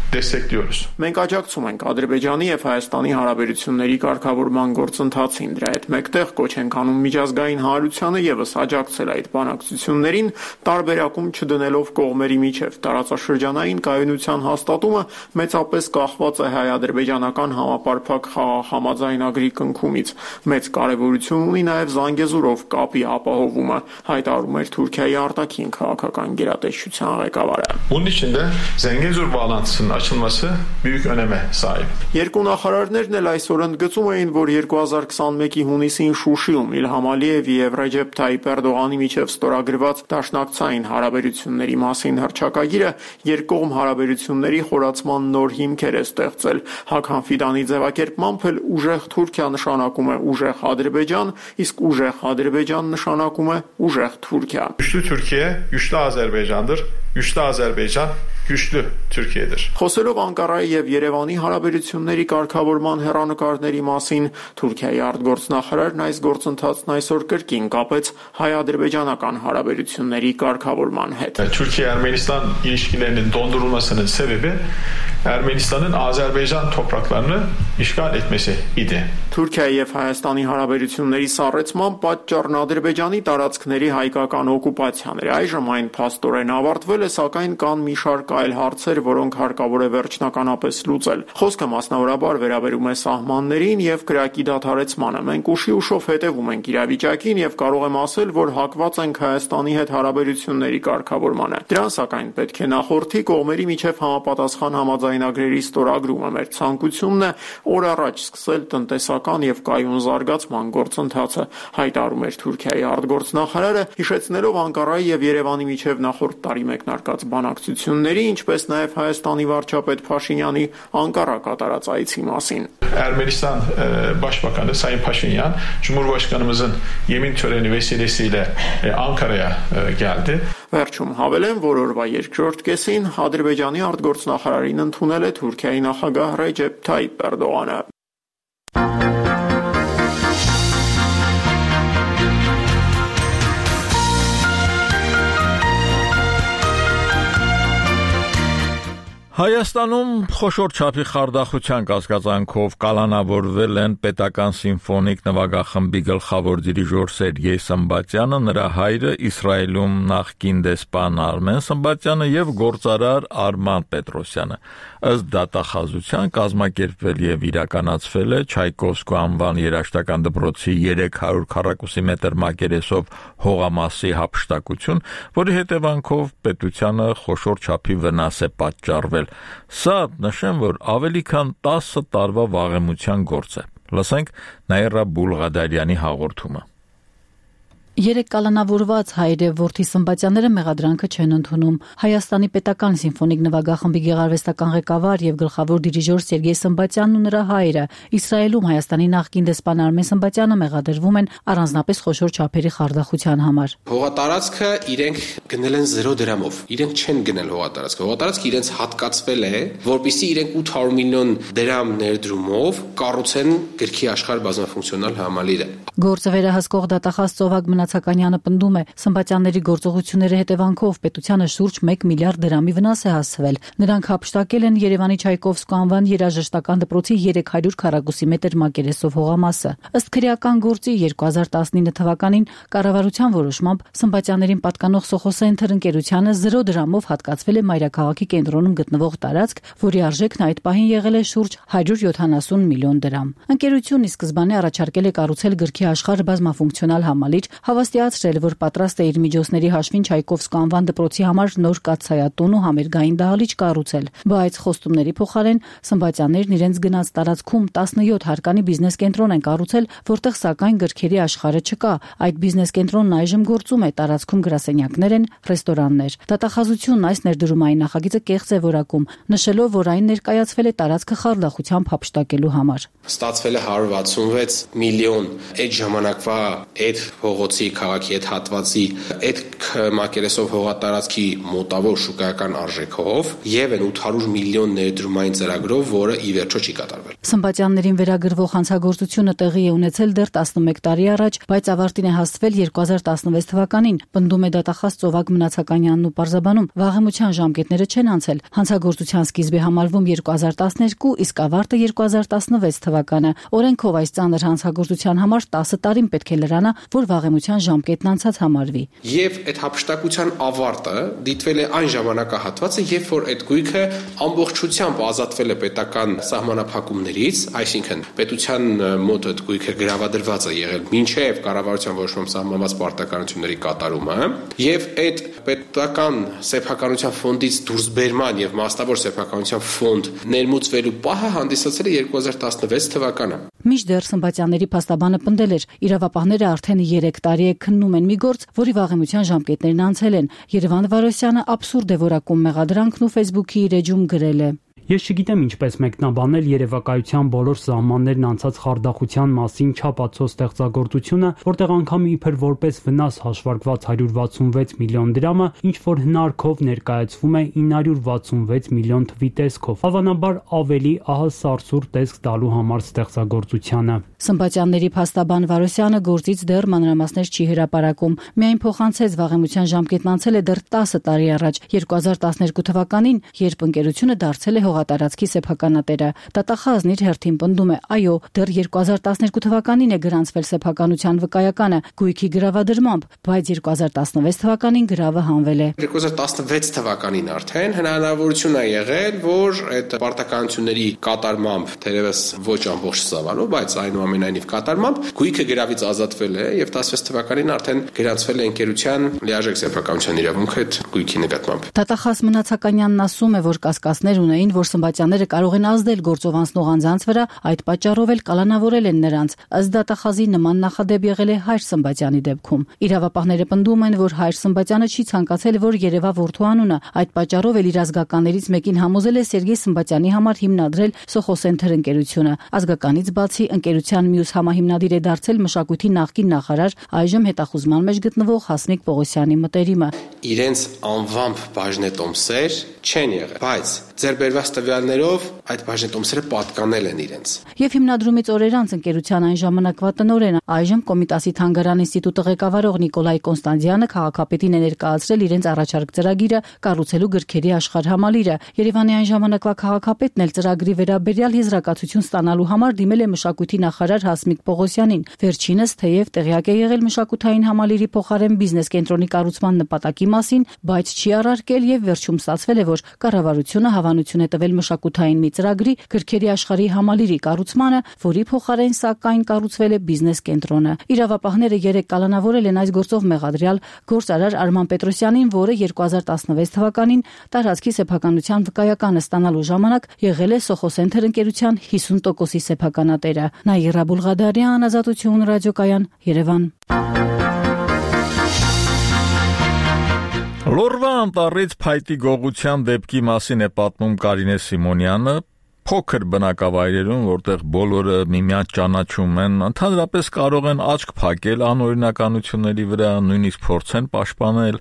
S17: destekliyoruz.
S15: Մենք աջակցում ենք Ադրբեջանի եւ Հայաստանի հարաբերությունների կարգավորման գործընթացին, դրա հետ մեկտեղ կոչ ենք անում միջազգային հանրությանը եւս աջակցել այդ բանակցություններին, տարբերակում չդնելով կողմերի միջև տարածաշրջանային կայունության հաստատումը մեծապես կախված է հայ-ադրբեջանական համապարփակ խաղաղ համաձայնագրի կնքումից։ Մեծ կարեւորություն ունի նաեւ Զանգեզուրով կապի ապահովումը, հայտարարում էր Թուրքիայի արտաքին քաղաքական գերատեսչության ղեկավարը։
S17: Bunun için de Zengezur bağlantısının açılması büyük öneme sahip.
S15: Երկու նախարարներն էլ այսօր ընդգծում էին, որ 2021-ի հունիսին Շուշիում Իլհամ Ալիևի եւ Ռեջեփ Թայիփ Էրդողանի միջև ստորագրված դաշնակցային հարաբերությունների մասին հռչակագիրը երկկողմ հարաբերությունների խորացման նոր հիմքեր է ստեղծել։ Հաքան Ֆիդանի ձևակերպմամբ էլ ուժեղ Թուրքիա նշանակում է ուժեղ Ադրբեջան, իսկ ուժեղ Ադրբեջան նշանակում է ուժեղ Թուրքիա։
S17: Güçlü Türkiye, güçlü Azerbaycan'dır. Güçlü Azerbaycan, güçlü Türkiye'dir.
S15: Խոսելով Անկարայի եւ Երևանի հարաբերությունների կարգավորման հեռանկարների մասին, Թուրքիայի արտգործնախարարն այս գործընթացն այսօր կրկին կապեց հայ-ադրբեջանական հարաբերությունների կարգավորման հետ.
S17: Türkiye-Ermenistan ilişkilerinin dondurulmasının sebebi Ermenistan'ın Azerbaycan topraklarını işgal etmesi idi.
S15: Թուրքիայի եւ Հայաստանի հարաբերությունների սառեցման պատճառն Ադրբեջանի տարածքների հայկական օկուպացիան էր։ Այժմ այն փաստորեն ավարտվել է, սակայն կան մի շարք այլ հարցեր, որոնք հարկավոր է վերջնականապես լուծել։ Խոսքը մասնավորաբար վերաբերում է սահմաններին եւ կրակի դադարեցմանը։ Մենք ուշի-ուշով հետևում ենք իրավիճակին եւ կարող եմ ասել, որ հակված ենք Հայաստանի հետ հարաբերությունների կարգավորմանը։ Դրան սակայն պետք է նախորդի կողմերի միջև համապատասխան համաձայնագրերի ստորագրումը։ Մեր ցանկությունն է օր առաջ սկսել տնտեսական եւ կայուն զարգացման գործընթացը, հայտարարում էր Թուրքիայի արտգործնախարարը, հիշեցնելով Անկարայի եւ Երևանի միջև նախորդ տարի մեկնարկած բանակցությունների, ինչպես նաեւ Հայաստանի վարչապետ Փաշինյանի Անկարա կատարած այցի մասին.
S17: Ermenistan Başbakanı Sayın Paşinyan, Cumhurbaşkanımızın yemin töreni vesilesiyle Ankara'ya geldi.
S15: Վերջում հավելեմ, որ օրվա երկրորդ կեսին Ադրբեջանի արտգործնախարարին ընդունել է Թուրքիայի նախագահ Ռեջեփ Թայիփ Էրդողանը։
S1: Հայաստանում խոշոր չափի խարդախության կասկածանքով կալանավորվել են պետական սիմֆոնիկ նվագախմբի գլխավոր դիրիժոր Սերգեյ Սմբատյանը, նրա հայրը, Իսրայելում նախկին դեսպան Արմեն Սմբատյանը եւ գործարար Արման Պետրոսյանը։ Ըստ դատախազության կազմակերպվել եւ իրականացվել է Չայկովսկու անվան երաժշտական դպրոցի 300 քառակուսի մետր մակերեսով հողամասի հափշտակություն, որի հետևանքով պետությանը խոշոր չափի վնաս է պատճառվել։ Սա նշեմ, որ ավելի քան 10 տարվա վաղեմության գործ է։ Լսենք Նաիրա Բուլղադարյանի հաղորդումը։
S18: Երեք կալանավորված հայր եւ որդի Սմբատյանները մեղադրանքը չեն ընդունում։ Հայաստանի պետական սիմֆոնիկ նվագախմբի գեղարվեստական ղեկավար եւ գլխավոր դիրիժոր Սերգեյ Սմբատյանն ու նրա հայրը Իսրայելում Հայաստանի նախկին դեսպան Արմեն Սմբատյանը մեղադրվում են առանձնապես խոշոր չափերի խարդախության համար։
S19: Հողատարածքը իրենք գնել են 0 դրամով։ Իրենք չեն գնել հողատարածքը։ Հողատարածքը իրենց հատկացվել է, որպեսզի իրենք 800 միլիոն դրամ ներդրումով կառուցեն գրքի աշխարհ բազմաֆունկցիոնալ համալիրը։
S18: Գործը վերահսկող դատախազ Ծովակ Մնացականյանը պնդում է, Սմբատյանների գործողությունների հետևանքով պետությանը շուրջ 1 միլիարդ դրամի վնաս է հասցվել։ Նրանք հափշտակել են Երևանի Չայկովսկու անվան երաժշտական դպրոցի 300 քառակուսի մետր մակերեսով հողամասը։ Ըստ քրեական գործի 2019 թվականին կառավարության որոշմամբ Սմբատյաններին պատկանող Սոխոսենթր ընկերությանը 0 դրամով հատկացվել է Մայրաքաղաքի կենտրոնում գտնվող տարածք, որի արժեքն այդ պահին եղել է շուրջ 170 միլիոն դրամ։ Ընկերությունն ի սկզբանե առաջարկել է կառուցել գրքի աշխարհ բազմաֆունկցիոնալ համալիր, հավաստիացրել, որ պատրաստ է իր միջոցների հաշվին Չայկովսկու անվան դպրոցի համար նոր կաթսայատուն ու համերգային դահլիճ կառուցել, բայց խոստումների փոխարեն Սմբատյաններն իրենց գնած տարածքում 17 հարկանի բիզնես կենտրոն են կառուցել, որտեղ սակայն գրքերի աշխարհը չկա։ Այդ բիզնես կենտրոնն այժմ գործում է, տարածքում գրասենյակներ են, ռեստորաններ։ Դատախազությունն այս ներդրումային նախագիծը կեղծ է որակում, նշելով, որ այն ներկայացվել է տարածքը խարդախությամբ հափշտակելու համար։
S19: Ստացվել է 166 միլիոն այդ ժամանակվա այդ փողոցի քաղաքի այդ հատվածի այդ մակերեսով հողատարածքի մոտավոր շուկայական արժեքով եւ այն 800 միլիոն ներդրումային ծրագրով, որը ի վերջո չի կատարվել։
S18: Սմբատյաններին վերագրվող հանցագործությունը տեղի է ունեցել դեռ 11 տարի առաջ, բայց ավարտին է հասցվել 2016 թվականին, պնդում է դատախազ Ծովակ Մնացականյանն ու պարզաբանում, վաղեմության ժամկետները չեն անցել։ Հանցագործության սկիզբ է համարվում 2012, իսկ ավարտը 2016 թվականը։ Օրենքով այս ծանր հանցագործության համար 10 տարին պետք է լրանա, որ վաղեմության ժամկետն անցած համարվի։
S19: Եվ այդ հափշտակության ավարտը դիտվել է այն ժամանակահատվածը, երբ որ այդ գույքը ամբողջությամբ ազատվել է պետական սահմանափակումներից, այսինքն պետության մոտ այդ գույքը գրավադրված է եղել մինչև կառավարության որոշմամբ սահմանված պարտականությունների կատարումը, եւ այդ պետական սեփականության ֆոնդից դուրսբերման եւ մասնավոր սեփականության ֆոնդ ներմուծվելու պահը հանդիսացել է 2016 թվականը։
S18: Մինչդեռ Սմբատյանների փաստաբանը պնդել էր, իրավապահները արդեն 3 տարի է քննում են մի գործ, որի վաղեմության ժամկետներն անցել են։ Երևան Վարոսյանը абսուրդ է որակում մեղադրանքն ու Facebook-ի իր էջում գրել է.
S20: Ես չգիտեմ ինչպես մեկնաբանել երևակայության բոլոր սահմաններն անցած խարդախության մասին չափածո ստեղծագործությունը, որտեղ անգամ իբր որպես վնաս հաշվարկված 166 միլիոն դրամը ինչ որ հնարքով ներկայացվում է 966 միլիոն թվի տեսքով, հավանաբար ավելի ահա սարսուռ տեսք տալու համար ստեղծագործությանը։
S18: Սմբատյանների փաստաբան Վարոսյանը գործից դեռ մանրամասներ չի հրապարակում, միայն փոխանցեց վաղեմության ժամկետն անցել է դեռ 10 տարի առաջ, 2012 թվականին, երբ ընկերությունը դարձել է հողատարածքի սեփականատերը։ Դատախազն իր հերթին պնդում է, այո, դեռ 2012 թվականին է գրանցվել սեփականության վկայականը գույքի գրավադրմամբ, բայց 2016 թվականին գրավը հանվել է։
S19: 2016 թվականին արդեն հնարավորություն է եղել, որ այդ պարտականությունների կատարմամբ, թերևս ոչ ամբողջ ծավալով, բայց այնուամենայնիվ կատարմամբ գույքը գրավից ազատվել է եւ 16 թվականին արդեն գրանցվել է ընկերության լիարժեք սեփականության իրավունքը այդ գույքի նկատմամբ։
S18: Դատախազ Մնացականյանն ասում է, որ կասկածներ ունեին, որ Սմբատյանները կարող են ազդել գործով անցնող անձանց վրա, այդ պատճառով էլ կալանավորել են նրանց։ Ըստ դատախազի նման նախադեպ եղել է Հայր Սմբատյանի դեպքում։ Իրավապահները պնդում են, որ Հայր Սմբատյանը չի ցանկացել, որ երևա որդու անունը, այդ պատճառով էլ իր ազգականներից մեկին համոզել է Սերգեյ Սմբատյանի համար հիմնադրել Soho Center ընկերությունը։ Ազգականից բացի ընկերության մյուս համահիմնադիր է դարձել մշակույթի նախկին նախարար, այժմ հետախուզման մեջ գտնվող Հասմիկ Պողոսյանի մտերիմը։
S19: Իրենց անվամբ բաժնետոմսեր չեն եղել, բայց ձեռբերված տվյալներով այդ բաժնետոմսերը պատկանել են իրենց։
S18: Եվ հիմնադրումից օրեր անց ընկերության այն ժամանակվա տնօրենը, այժմ Կոմիտասի Թանգարան ինստիտուտը ղեկավարող Նիկոլայ Կոնստանտյանը քաղաքապետին է ներկայացրել իրենց առաջարկ ծրագիրը կառուցելու գրքերի աշխարհ համալիրը։ Երևանի այն ժամանակվա քաղաքապետն էլ ծրագրի վերաբերյալ եզրակացություն ստանալու համար դիմել է մշակույթի նախարար Հասմիկ Պողոսյանին։ Վերջինս թեև տեղյակ է եղել մշակութային համալիրի փոխարեն բիզնես կենտրոնի կառուցման նպատակի մասին, բայց չի առարկել եւ վերջում ստացվել է, որ կառավարությունը հավանություն է տվել մշակութային մի ծրագրի գրքերի աշխարհի համալիրի կառուցմանը, որի փոխարեն սակայն կառուցվել է բիզնես կենտրոնը։ Իրավապահները 3 կալանավորել են այս գործով մեղադրյալ գործարար Արման Պետրոսյանին, որը 2016 թվականին տարածքի սեփականության վկայականը ստանալու ժամանակ եղել է Soho Center ընկերության 50%-ի սեփականատերը։ Նաիրա Բուլղադարյան, Ազատություն ռադիոկայան, Երևան։
S1: Լորվա անտառից փայտի գողության դեպքի մասին է պատմում Կարինե Սիմոնյանը։ Փոքր բնակավայրերում, որտեղ բոլորը միմյանց ճանաչում են, ընդհանրապես կարող են աչք փակել անօրինականությունների վրա, նույնիսկ փորձեն պաշտպանել։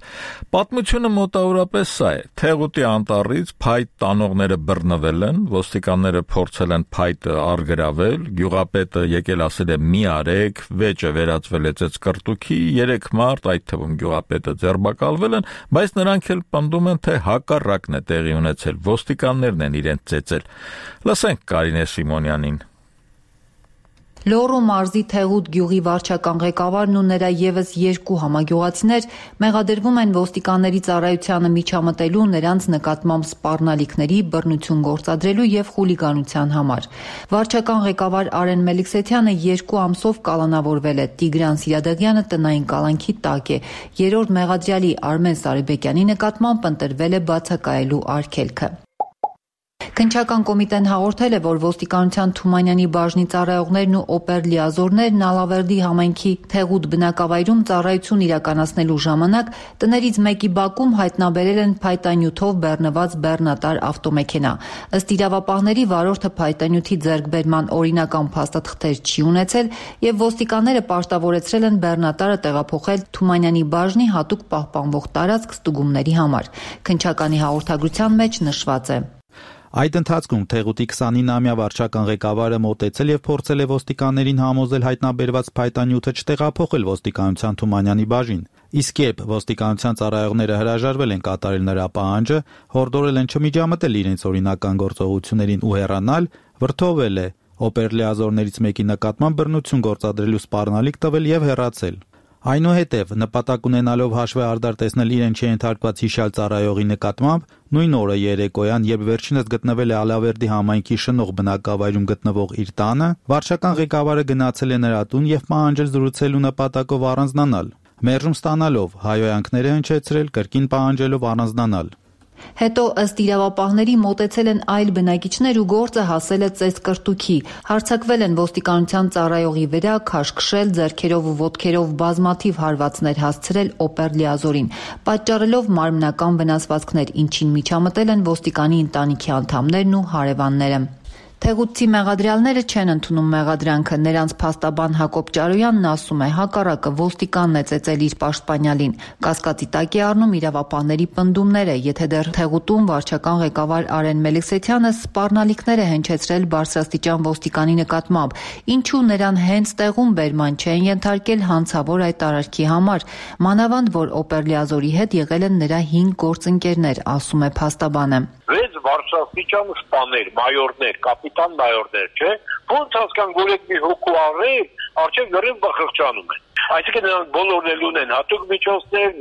S1: Պատմությունը մոտավորապես սա է. Թեղուտի անտառից փայտ տանողները բռնվել են, ոստիկանները փորձել են փայտը առգրավել, գյուղապետը եկել ասել է՝ «Մի արեք», վեճը վերածվել է ծեծկռտուքի, 3 մարդ, այդ թվում գյուղապետը, ձերբակալվել են, բայց նրանք էլ պնդում են, թե հակառակն է տեղի ունեցել, ոստիկաններն են իրենց ծեծել։ Լսենք Կարինե Սիմոնյանին։
S21: Լոռու մարզի Թեղուտ գյուղի վարչական ղեկավարն ու նրա ևս 2 համագյուղացիներ մեղադրվում են ոստիկանների ծառայությանը միջամտելու, նրանց նկատմամբ սպառնալիքների, բռնություն գործադրելու եւ խուլիգանության համար։ Վարչական ղեկավար Արեն Մելիքսեթյանը 2 ամսով կալանավորվել է, Տիգրան Սիրադեղյանը տնային կալանքի տակ է, 3-րդ մեղադրյալի Արմեն Սարիբեկյանի նկատմամբ ընտրվել է բացակայելու արգելքը։ Քննչական կոմիտեն հաղորդել է, որ ոստիկանության Թումանյանի բաժնի ծառայողներն ու օպեր լիազորներն Ալավերդի համայնքի Թեղուտ բնակավայրում ծառայություն իրականացնելու ժամանակ տներից մեկի բակում հայտնաբերել են փայտանյութով բեռնված բեռնատար ավտոմեքենա։ Ըստ իրավապահների վարորդը փայտանյութի ձեռքբերման օրինական փաստաթղթեր չի ունեցել եւ ոստիկանները պարտավորեցրել են բեռնատարը տեղափոխել Թումանյանի բաժնի հատուկ պահպանվող տարածք ստուգումների համար։ Քննչականի հաղորդագրության մեջ նշված է.
S2: Այդ ընթացքում Թեղուտի 29-ամյա վարչական ղեկավարը մոտեցել եւ փորձել է ոստիկաններին համոզել հայտնաբերված փայտանյութը չտեղափոխել ոստիկանության Թումանյանի բաժին։ Իսկ երբ ոստիկանության ծառայողները հրաժարվել են կատարել նրա պահանջը, հորդորել են չմիջամտել իրենց օրինական գործողություններին ու հեռանալ, վրդովել է, օպեր լիազորներից մեկի նկատմամբ բռնություն գործադրելու սպառնալիք տվել եւ հեռացել։ Այնուհետև, նպատակ ունենալով հաշվի արդար տեսնել իրեն չենթարկված հիշյալ ծառայողի նկատմամբ, նույն օրը երեկոյան, երբ վերջինս գտնվել է Ալավերդի համայնքի շնող բնակավայրում գտնվող իր տանը, վարչական ղեկավարը գնացել է նրա տուն եւ պահանջել զրուցելու նպատակով առանձնանալ։ Մերժում ստանալով, հայհոյանքներ է հնչեցրել, կրկին պահանջելով առանձնանալ։
S21: Հետո ըստ իրավապահների մոտեցել են այլ բնակիչներ ու գործը հասել է ծեծկրտուքի։ Հարձակվել են ոստիկանության ծառայողի վրա, քաշքշել, ձեռքերով ու ոտքերով բազմաթիվ հարվածներ հասցրել օպեր լիազորին, պատճառելով մարմնական վնասվածքներ, ինչին միջամտել են ոստիկանի ընտանիքի անդամներն ու հարևանները։ Թեղուտցի մեղադրյալները չեն ընդունում մեղադրանքը։ Նրանց փաստաբան Հակոբ Ճարոյանն ասում է, հակառակը ոստիկանն է ծեծել իր պաշտպանյալին։ Կասկածի տակ է առնում իրավապահների պնդումները, եթե դեռ Թեղուտում վարչական ղեկավար Արեն Մելիքսեթյանը սպառնալիքներ է հնչեցրել բարձրաստիճան ոստիկանի նկատմամբ, ինչու նրան հենց տեղում բերման չեն ենթարկել հանցավոր այդ արարքի համար, մանավանդ որ օպեր լիազորի հետ եղել են նրա 5 գործընկերներ, ասում է փաստաբանը։
S22: 6 բարձրաստիճան սպաներ, մայորներ, կապիտան մայորներ, չէ՞։ Ոնց հասկան գորեկ մի հոգու առել, արդյոք գրեն բխղճանում են։ Այսինքն նրանք բոլորն էլ ունեն հատուկ միջոցներ,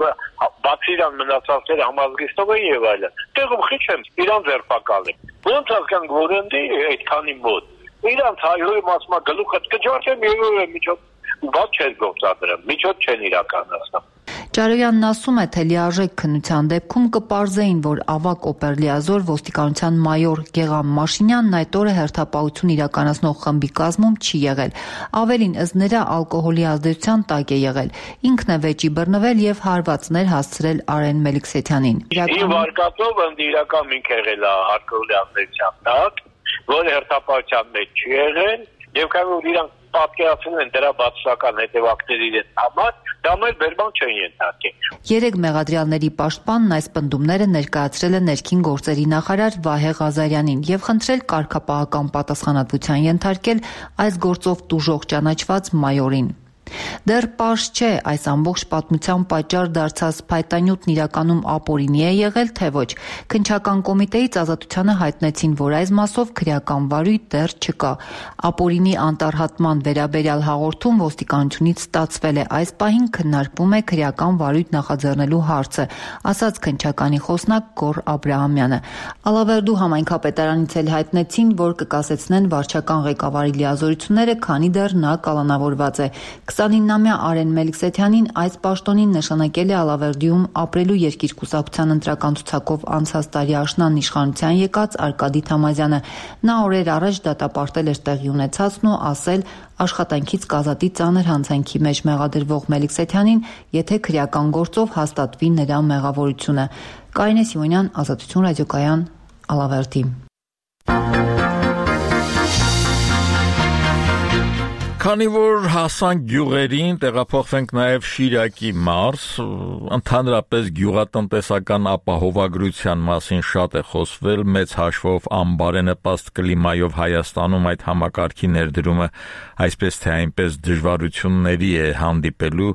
S22: բացի իրան մնացածները համազգիստով են եւ այլն։ Տեղում խիչ եմ իրան ձերբակալել։ Ոնց հասկան գորենդի այդքանի մոտ։ Իրանց հայոյի մասմա գլուխը կջարդեմ եւ միջոց բաց չեն գործադրում, միջոց չեն իրականացնում։
S21: Ճարոյանն ասում է, թե լիարժեք քննության դեպքում կպարզեին, որ ավակ օպեր լիազոր ոստիկանության մայոր Գեղամ Մաշինյանն այդ օրը հերթապահություն իրականացնող խմբի կազմում չի եղել։ Ավելին, ըստ նրա ազդեցության տակ է եղել։ Ինքն է վեճի բռնվել եւ հարվածներ հասցրել Արեն Մելիքսեթյանին։
S22: Իմ վարկածով ընդիրական մի եղել է ազդեցության տակ, որը հերթապահության մեջ չի եղել եւ կարող իրանք պատկերացնում են դրա բացասական հետևանքների համար, դա մեր բերման չեն ենթարկել։
S21: 3 մեղադրյալների պաշտպանն այս պնդումները ներկայացրել է ներքին գործերի նախարար Վահե Ղազարյանին եւ խնդրել կարգապահական պատասխանատվության ենթարկել այս գործով տուժող ճանաչված մայորին։ Դեռ պարզ չէ, այս ամբողջ պատմության պատճառ դարձած փայտանյութն իրականում ապօրինի է եղել, թե ոչ։ Քննչական կոմիտեից Ազատությանը հայտնեցին, որ այս մասով քրեական վարույթ դեռ չկա։ Ապօրինի անտարհատման վերաբերյալ հաղորդում ոստիկանությունից ստացվել է, այս պահին քննարկվում է քրեական վարույթ նախաձեռնելու հարցը, ասաց քննչականի խոսնակ Գոռ Աբրահամյանը։ Ալավերդու համայնքապետարանից էլ հայտնեցին, որ կկասեցնեն վարչական ղեկավարի լիազորությունները, քանի դեռ նա կալանավորված է։ 29-ամյա Արեն Մելիքսեթյանին այս պաշտոնին նշանակել է Ալավերդիում ապրելու երկիր կուսակցության ընտրական ցուցակով անցած տարի աշնան իշխանության եկած Արկադի Թամազյանը։ Նա օրեր առաջ դատապարտել էր տեղի ունեցածն ու ասել աշխատանքից կազատի ծանր հանցանքի մեջ մեղադրվող Մելիքսեթյանին, եթե քրեական գործով հաստատվի նրա մեղավորությունը։ Կարինե Սիմոնյան, Ազատություն ռադիոկայան, Ալավերդի։
S1: Քանի որ հասանք գյուղերին, տեղափոխվենք նաև Շիրակի մարզ, ընդհանրապես գյուղատնտեսական ապահովագրության մասին շատ է խոսվել, մեծ հաշվով անբարենպաստ կլիմայով Հայաստանում այդ համակարգի ներդրումը այսպես թե այնպես դժվարությունների է հանդիպելու,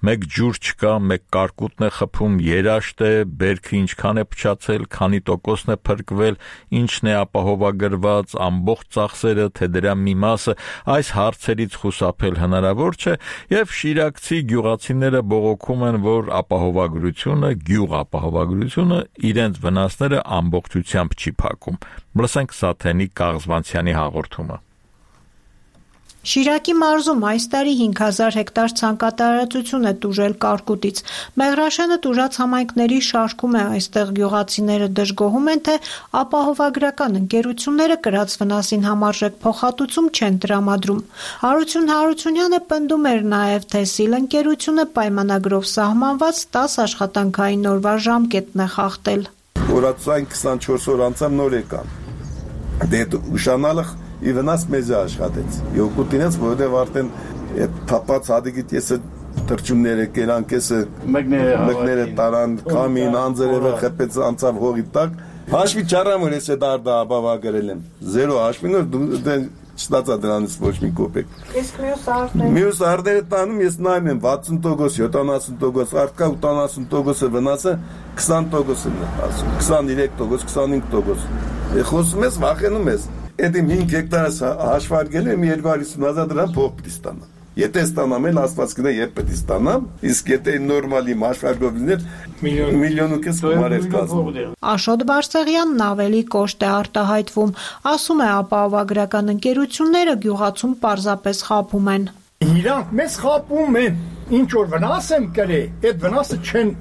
S1: մեկ ջուր չկա, մեկ կարկուտն է խփում, երաշտ է, բերքը ինչքան է փչացել, քանի տոկոսն է փրկվել, ինչն է ապահովագրված, ամբողջ ծախսերը, թե դրա մի մասը, այս հարցերից խուսափել հնարավոր չէ եւ շիրակցի գյուղացիները բողոքում են, որ ապահովագրությունը, գյուղ ապահովագրությունը իրենց վնասները ամբողջությամբ չի փակում։ Լսենք Սաթենի Կաղզվանցյանի հաղորդումը։
S5: Շիրակի մարզում այս տարի 5000 հեկտար ցանկատարածություն է տուժել կարկուտից։ Մեղրաշենը տուժած համայնքների շարքում է, այստեղ գյուղացիները դժգոհում են, թե ապահովագրական ընկերությունները կրած վնասին համարժեք փոխհատուցում չեն տրամադրում։ Հարություն Հարությունյանը պնդում էր նաև, թե ՍԻԼ ընկերությունը պայմանագրով սահմանված 10 աշխատանքային օրվա ժամկետն է խախտել։
S6: Օրացային 24 օր անցավ նոր եկան։ Դե ուշանալը ի վնաս մեզ աշխատեց։ Յոկուտինից, որովհետև արդեն այդ թափած հադիգիտ եսը թրջումները կերան, կեսը մեկները տարան, կամին, անձերևը խեպեց անցավ հողի տակ։ Հաշվի չարամ, որ ես է դարդա ապավագրել եմ։ 0 հաշվին, որ չստացա դրանից ոչ մի կոպեկ։
S5: Իսկ մյուս
S6: արտերը տանում ես նայում եմ 60%, 70%, արկա 80%-ը վնասը 20%-ն է ասում, 23%, 25%։ Խոսում ես, վախենում ես։ Այդ իմ 5 հեկտարը հաշվարկել եմ 250,000 դրամ փող պիտի ստանամ։ Եթե ստանամ էլ աստված գնա երբ պիտի ստանամ, իսկ եթե նորմալի հաշվարկով լիներ միլիոն ու կես գումար էր կազմում։
S5: Աշոտ Բարսեղյանն ավելի կոշտ է արտահայտվում, ասում է ապահովագրական ընկերությունները գյուղացում պարզապես խաբում են։
S23: Իրանք մեզ խաբում են, ինչ որ վնաս եմ կրել, այդ վնասը չեն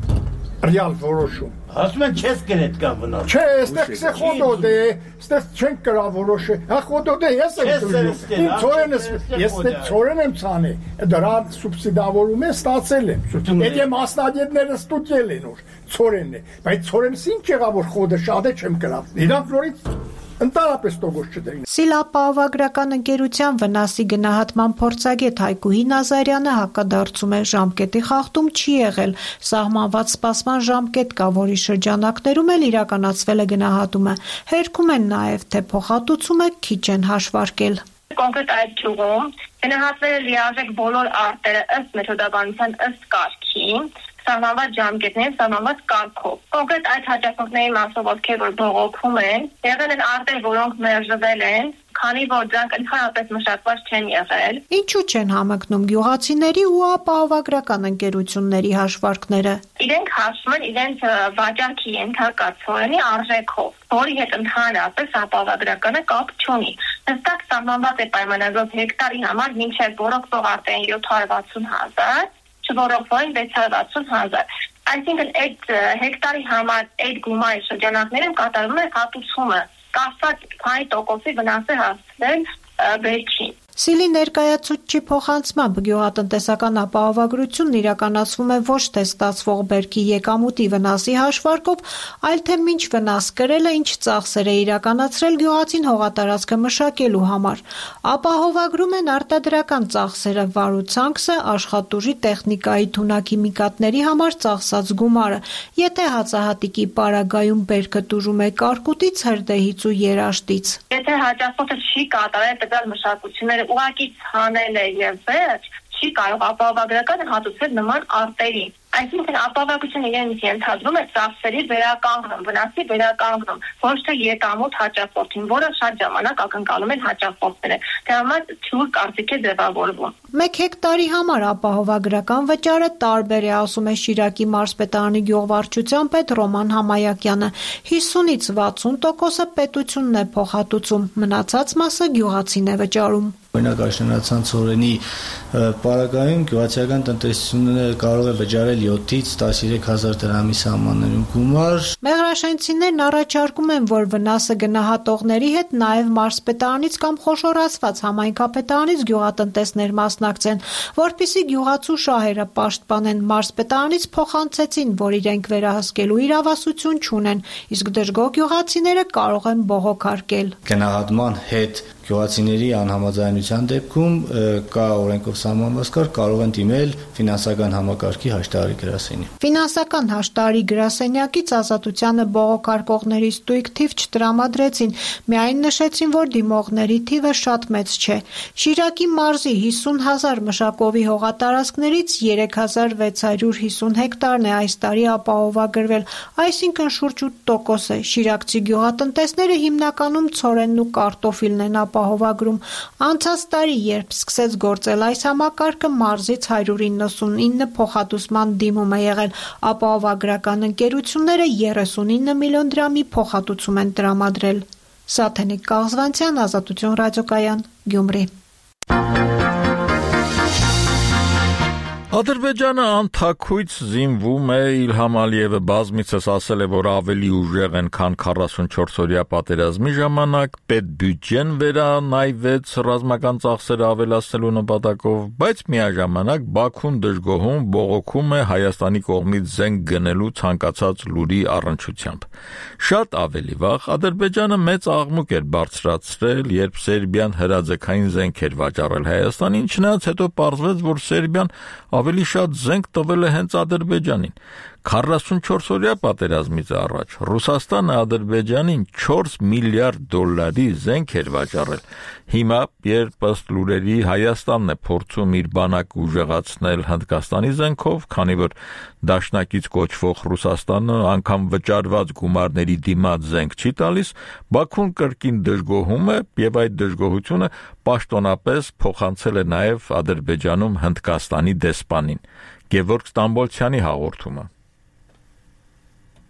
S23: ռեալ որոշում։
S24: Ասում են չես կրետ կա վնաս։
S23: Չէ, այստեղ կսե խոդոդ է, այստեղ չեն կրա որոշը։ Հա խոդոդ է, ես եմ կրում։ Իմ ծորենս, ես ծորեն եմ ցանի, դրա սուբսիդավորում է ստացել եմ։ Եթե մասնագետները ստուգել են որ ծորենն է, բայց ծորենս ինչ եղավ որ խոդը շատ է չեմ կրավ։ Իրանք նորից ընդհանրապես տոկոս չդրին։
S5: ՍԻԼ ապահովագրական ընկերության վնասի գնահատման փորձագետ Հայկուհի Նազարյանը հակադարձում է, ժամկետի խախտում չի եղել, սահմանված սպասման ժամկետ կա, որի շրջանակներում էլ իրականացվել է գնահատումը։ Հերքում են նաև, թե փոխհատուցումը քիչ են հաշվարկել։
S25: Կոնկրետ այդ ճյուղում գնահատվել է լիարժեք բոլոր արտերը ըստ մեթոդաբանության ըստ կարգի, սահմանված ժամկետներով, սահմանված կարգով։ Կոնկրետ այդ հաճախորդների մասով, ովքեր որ բողոքում են, եղել են արտեր, որոնք մերժվել են, քանի որ դրանք ընդհանրապես մշակված չեն եղել։
S5: Ինչու չեն համընկնում գյուղացիների ու ապահովագրական ընկերությունների հաշվարկները։
S25: Իրենք հաշվում են իրենց վաճառքի ենթակա ծորենի արժեքով, որի հետ ընդհանրապես ապահովագրականը կապ չունի։ Հստակ սահմանված է պայմանագրով հեկտարի համար մինչև որոշվող արտերին 760,000, չորոշվող 660,000։ Այսինքն այդ հեկտարի համար այդ գումարի շրջանակներում կատարվում է հատուցումը, կասած քանի տոկոսի վնաս է հասցնել վերջին։
S5: ՍԻԼ-ի ներկայացուցչի փոխանցմամբ գյուղատնտեսական ապահովագրությունն իրականացվում է ոչ թե ստացվող բերքի եկամուտի վնասի հաշվարկով, այլ թե ինչ վնաս կրել է, ինչ ծախսեր է իրականացրել գյուղացին հողատարածքը մշակելու համար։ Ապահովագրում են արտադրական ծախսերը, վարուցանքսը, աշխատուժի տեխնիկայի թունաքիմիկատների համար ծախսած գումարը։ Եթե հացահատիկի պարագայում բերքը տուժում է կարկուտից, հրդեհից ու երաշտից։
S25: Եթե հաճախորդը չի կատարել տվյալ մշակությունները ուղղակի ցանել է եւ վերջ, չի կարող ապահովագրականը հատուցել նման արտերին։ Այսինքն ապահովագրությունը իրենից ենթադրում է ծախսերի վերականգնում, վնասի վերականգնում, ոչ թե եկամուտ հաճախորդին, որը շատ ժամանակ ակնկալում են հաճախորդները։ Դրա համար թյուր կարծիք է ձևավորվում։
S5: 1 հեկտարի համար ապահովագրական վճարը տարբեր է, ասում է Շիրակի մարզպետարանի գյուղվարչության պետ Ռոման Համայակյանը։ 50-ից 60%-ը պետությունն է փոխհատուցում, մնացած մասը գյուղացին է վճարում։
S26: Օրինակ աշնանացան ծորենի պարագայում գյուղացիական տնտեսությունը կարող է վճարել 7-ից 13,000 դրամի սահմաններում գումար։
S5: Մեղրաշենցիներն առաջարկում են, որ վնասը գնահատողների հետ նաև մարզպետարանից կամ խոշորացված համայնքապետարանից գյուղատնտեսներ մասնակցեն, որպեսզի գյուղացու շահերը պաշտպանեն։ Մարզպետարանից փոխանցեցին, որ իրենք վերահսկելու իրավասություն չունեն, իսկ դժգոհ գյուղացիները կարող են բողոքարկել։
S26: Գնահատման հետ գյուղացիների անհամաձայնության դեպքում կա օրենքով սահմանված կարգ, կարող են դիմել ֆինանսական համակարգի հաշտարարի գրասենյակ։
S5: Ֆինանսական հաշտարարի գրասենյակից Ազատությանը բողոքարկողների ստույգ թիվ չտրամադրեցին, միայն նշեցին, որ դիմողների թիվը շատ մեծ չէ։ Շիրակի մարզի 50,000 մշակովի հողատարածքներից 3,650 հեկտարն է այս տարի ապահովագրվել, այսինքն շուրջ 8% է։ Շիրակցի գյուղատնտեսները հիմնականում ցորենն ու կարտոֆիլն են ապահովագրում։ Անցած տարի, երբ սկսեց գործել այս համակարգը, մարզից 199 փոխհատուցման դիմում է եղել, ապահովագրական ընկերությունները 39 միլիոն դրամի փոխհատուցում են տրամադրել։ Սաթենիկ Կաղզվանցյան, Ազատություն ռադիոկայան, Գյումրի։
S1: Ադրբեջանը անթաքույց զինվում է, Իլհամ Ալիևը բազմիցս ասել է, որ ավելի ուժեղ են, քան 44-օրյա պատերազմի ժամանակ, պետբյուջեն վերանայվեց ռազմական ծախսերը ավելացնելու նպատակով, բայց միաժամանակ Բաքուն դժգոհում բողոքում է Հայաստանի կողմից զենք գնելու ցանկացած լուրի առնչությամբ։ Շատ ավելի վաղ Ադրբեջանը մեծ աղմուկ էր բարձրացրել, երբ Սերբիան հրաձգային զենք էր վաճառել Հայաստանին, չնայած հետո պարզվեց, որ Սերբիան ավելի շատ զենք տվել է հենց Ադրբեջանին։ 44-օրյա պատերազմից առաջ Ռուսաստանը Ադրբեջանին 4 միլիարդ դոլարի զենք էր վաճառել։ Հիմա, երբ ըստ լուրերի Հայաստանն է փորձում իր բանակը ուժեղացնել Հնդկաստանի զենքով, քանի որ դաշնակից կոչվող Ռուսաստանը անգամ վճարված գումարների դիմաց զենք չի տալիս, Բաքուն կրկին դժգոհում է եւ այդ դժգոհությունը պաշտոնապես փոխանցել է նաեւ Ադրբեջանում Հնդկաստանի դեսպանին։ Գևորգ Ստամբոլցյանի հաղորդումը։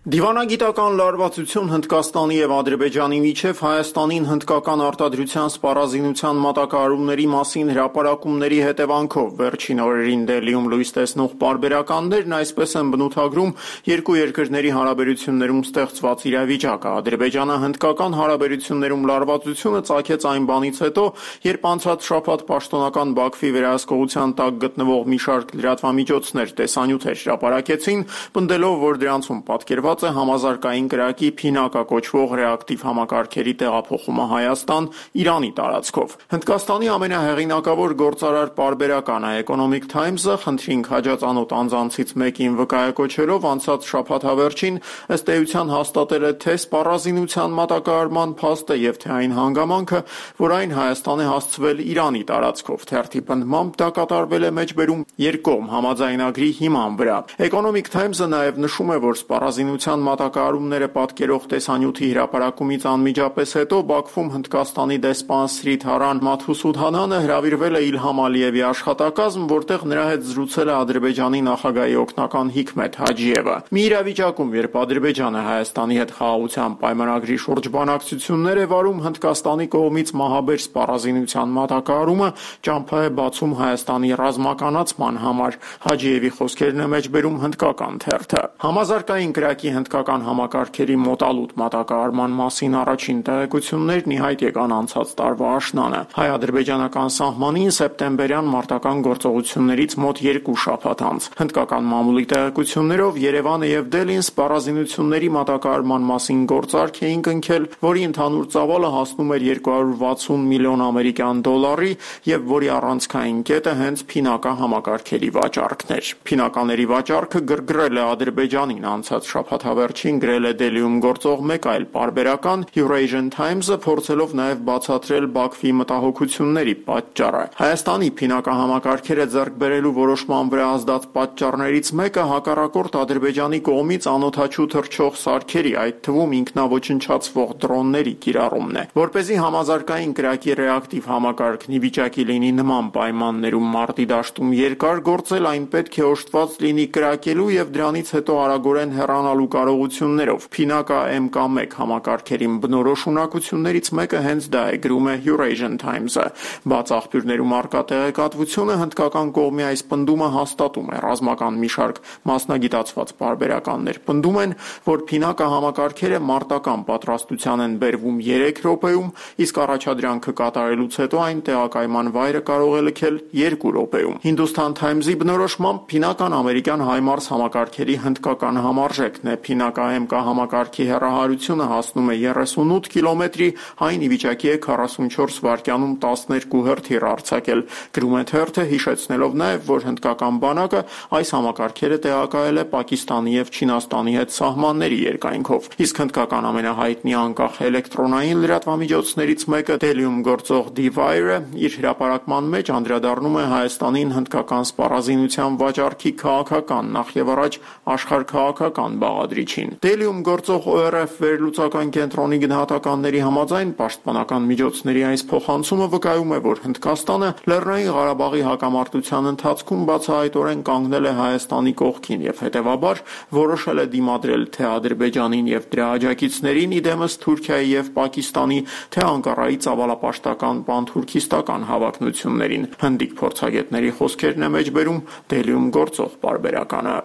S15: Դիվանագիտական լարվածություն Հնդկաստանի եւ Ադրբեջանի միջև Հայաստանին հնդկական արտադրության սպառազինության մատակարարումների մասին հրապարակումների հետևանքով վերջին օրերին Դելիում լույս տեսնող պարբերականներն այսպես են բնութագրում երկու երկրների հարաբերություններում ստեղծված իրավիճակը։ Ադրբեջանը հնդկական հարաբերություններում լարվածությունը ծագեց այն բանից հետո, երբ անցած շաբաթ պաշտոնական Բաքվի վերահսկողության տակ գտնվող մի շարք լրատվամիջոցներ տեսանյութեր հրապարակեցին, պնդելով, որ դրանցում պատկերված է համազարգային կրակի փինակա կոչվող ռեակտիվ համակարգերի տեղափոխումը Հայաստան Իրանի տարածքով։ Հնդկաստանի ամենահեղինակավոր գործարար պարբերականը Economic Times-ը խնդրին քաջածանոթ անձանցից մեկին վկայակոչելով անցած շաբաթավերջին ըստ էության հաստատել է թե սպառազինության մատակարարման փաստը եւ թե այն հանգամանքը, որ այն Հայաստան է հասցվել Իրանի տարածքով։ Թերթի պնդմամբ դա կատարվել է մեջբերում երկկողմ համաձայնագրի հիման վրա։ Economic Times-ը նաեւ նշում է, որ սպառազինության մատակարարումները պատկերող տեսանյութի հրապարակումից անմիջապես հետո Բաքվում Հնդկաստանի դեսպան Սրիթարան Մաթուսուդհանանը հրավիրվել է Իլհամ Ալիևի աշխատակազմ, որտեղ նրա հետ զրուցել է Ադրբեջանի նախագահի օգնական Հիկմեթ Հաջիևը։ Մի իրավիճակում, երբ Ադրբեջանը Հայաստանի հետ խաղաղության պայմանագրի շուրջ բանակցություններ է վարում, Հնդկաստանի կողմից մահաբեր սպառազինության մատակարարումը ճամփա է բացում Հայաստանի ռազմականացման համար։ Հաջիևի խոսքերն է մեջբերում հնդկական թերթը։ Համազարգային կրակի հնդկական համակարգերի մոտալուտ մատակարարման մասին առաջին տեղեկություններն ի հայտ եկան անցած տարվա աշնանը։ Հայ-ադրբեջանական սահմանին սեպտեմբերյան մարտական գործողություններից մոտ 2 շաբաթ անց։ Հնդկական մամուլի տեղեկություններով Երևանը եւ Դելին սպառազինությունների մատակարարման մասին գործարք էին կնքել, որի ընդհանուր ծավալը հասնում էր 260 միլիոն ամերիկյան դոլարի եւ որի առանցքային կետը հենց փինակա համակարգերի վաճառքն էր։ Փինակաների վաճառքը գրգռել է Ադրբեջանին անցած շաբաթավերջին գրել է Դելիում գործող մեկ այլ պարբերական Eurasian Times-ը, փորձելով նաև բացատրել Բաքվի մտահոգությունների պատճառը։ Հայաստանի փինակա համակարգերը ձեռք բերելու որոշման վրա ազդած պատճառներից մեկը հակառակորդ Ադրբեջանի կողմից անօդաչու թռչող սարքերի, այդ թվում ինքնաոչնչացվող դրոնների կիրառումն է։ Որպեսզի համազարգային կրակի ռեակտիվ համակարգն ի վիճակի լինի նման պայմաններում մարտի դաշտում երկար գործել, այն պետք է օժտված լինի կրակելու եւ դրանից հետո արագորեն հեռանալու կարողություններով։ Փինակա MK1 համակարգերին բնորոշ ունակություններից մեկը հենց դա է, գրում է Eurasian Times-ը։ Բաց աղբյուրներում առկա տեղեկատվությունը հնդկական կողմի այս պնդումը հաստատում է։ Ռազմական մի շարք մասնագիտացված պարբերականներ պնդում են, որ փինակա համակարգերը մարտական պատրաստության են բերվում 3 րոպեում, իսկ առաջադրանքը կատարելուց հետո այն տեղակայման վայրը կարող է լքել 2 րոպեում։ Hindustan Times-ի բնորոշմամբ փինական ամերիկյան HIMARS համակարգերի հնդկական համարժեքն է։ Փինակա MK համակարգի հեռահարությունը հասնում է 38 կիլոմետրի, այն ի վիճակի է 44 վայրկյանում 12 հրթիռ արձակել։ Գրում է թերթը, հիշեցնելով նաև, որ հնդկական բանակը այս համակարգերը տեղակայել է Պակիստանի եւ Չինաստանի հետ սահմանների երկայնքով։ Իսկ հնդկական ամենահայտնի անկախ էլեկտրոնային լրատվամիջոցներից մեկը Դելիում գործող D-Wire-ը իր հրապարակման մեջ անդրադառնում է Հայաստանին հնդկական սպառազինության վաճառքի քաղաքական, նախ եւ առաջ աշխարհքաղաքական բաղադրության թելադրիչին։ Դելիում գործող ORF վերլուծական կենտրոնի գնահատականների համաձայն պաշտպանական միջոցների այս փոխանցումը վկայում է, որ Հնդկաստանը Լեռնային Ղարաբաղի հակամարտության ընթացքում բացահայտորեն կանգնել է Հայաստանի կողքին եւ հետեւաբար որոշել է դիմադրել թե Ադրբեջանին եւ դրա աջակիցներին, իդեմս Թուրքիայի եւ Պակիստանի, թե Անկարայի ծավալապաշտական պանթուրքիստական հավակնություններին։ Հնդիկ փորձագետների խոսքերն է մեջբերում Դելիում գործող պարբերականը։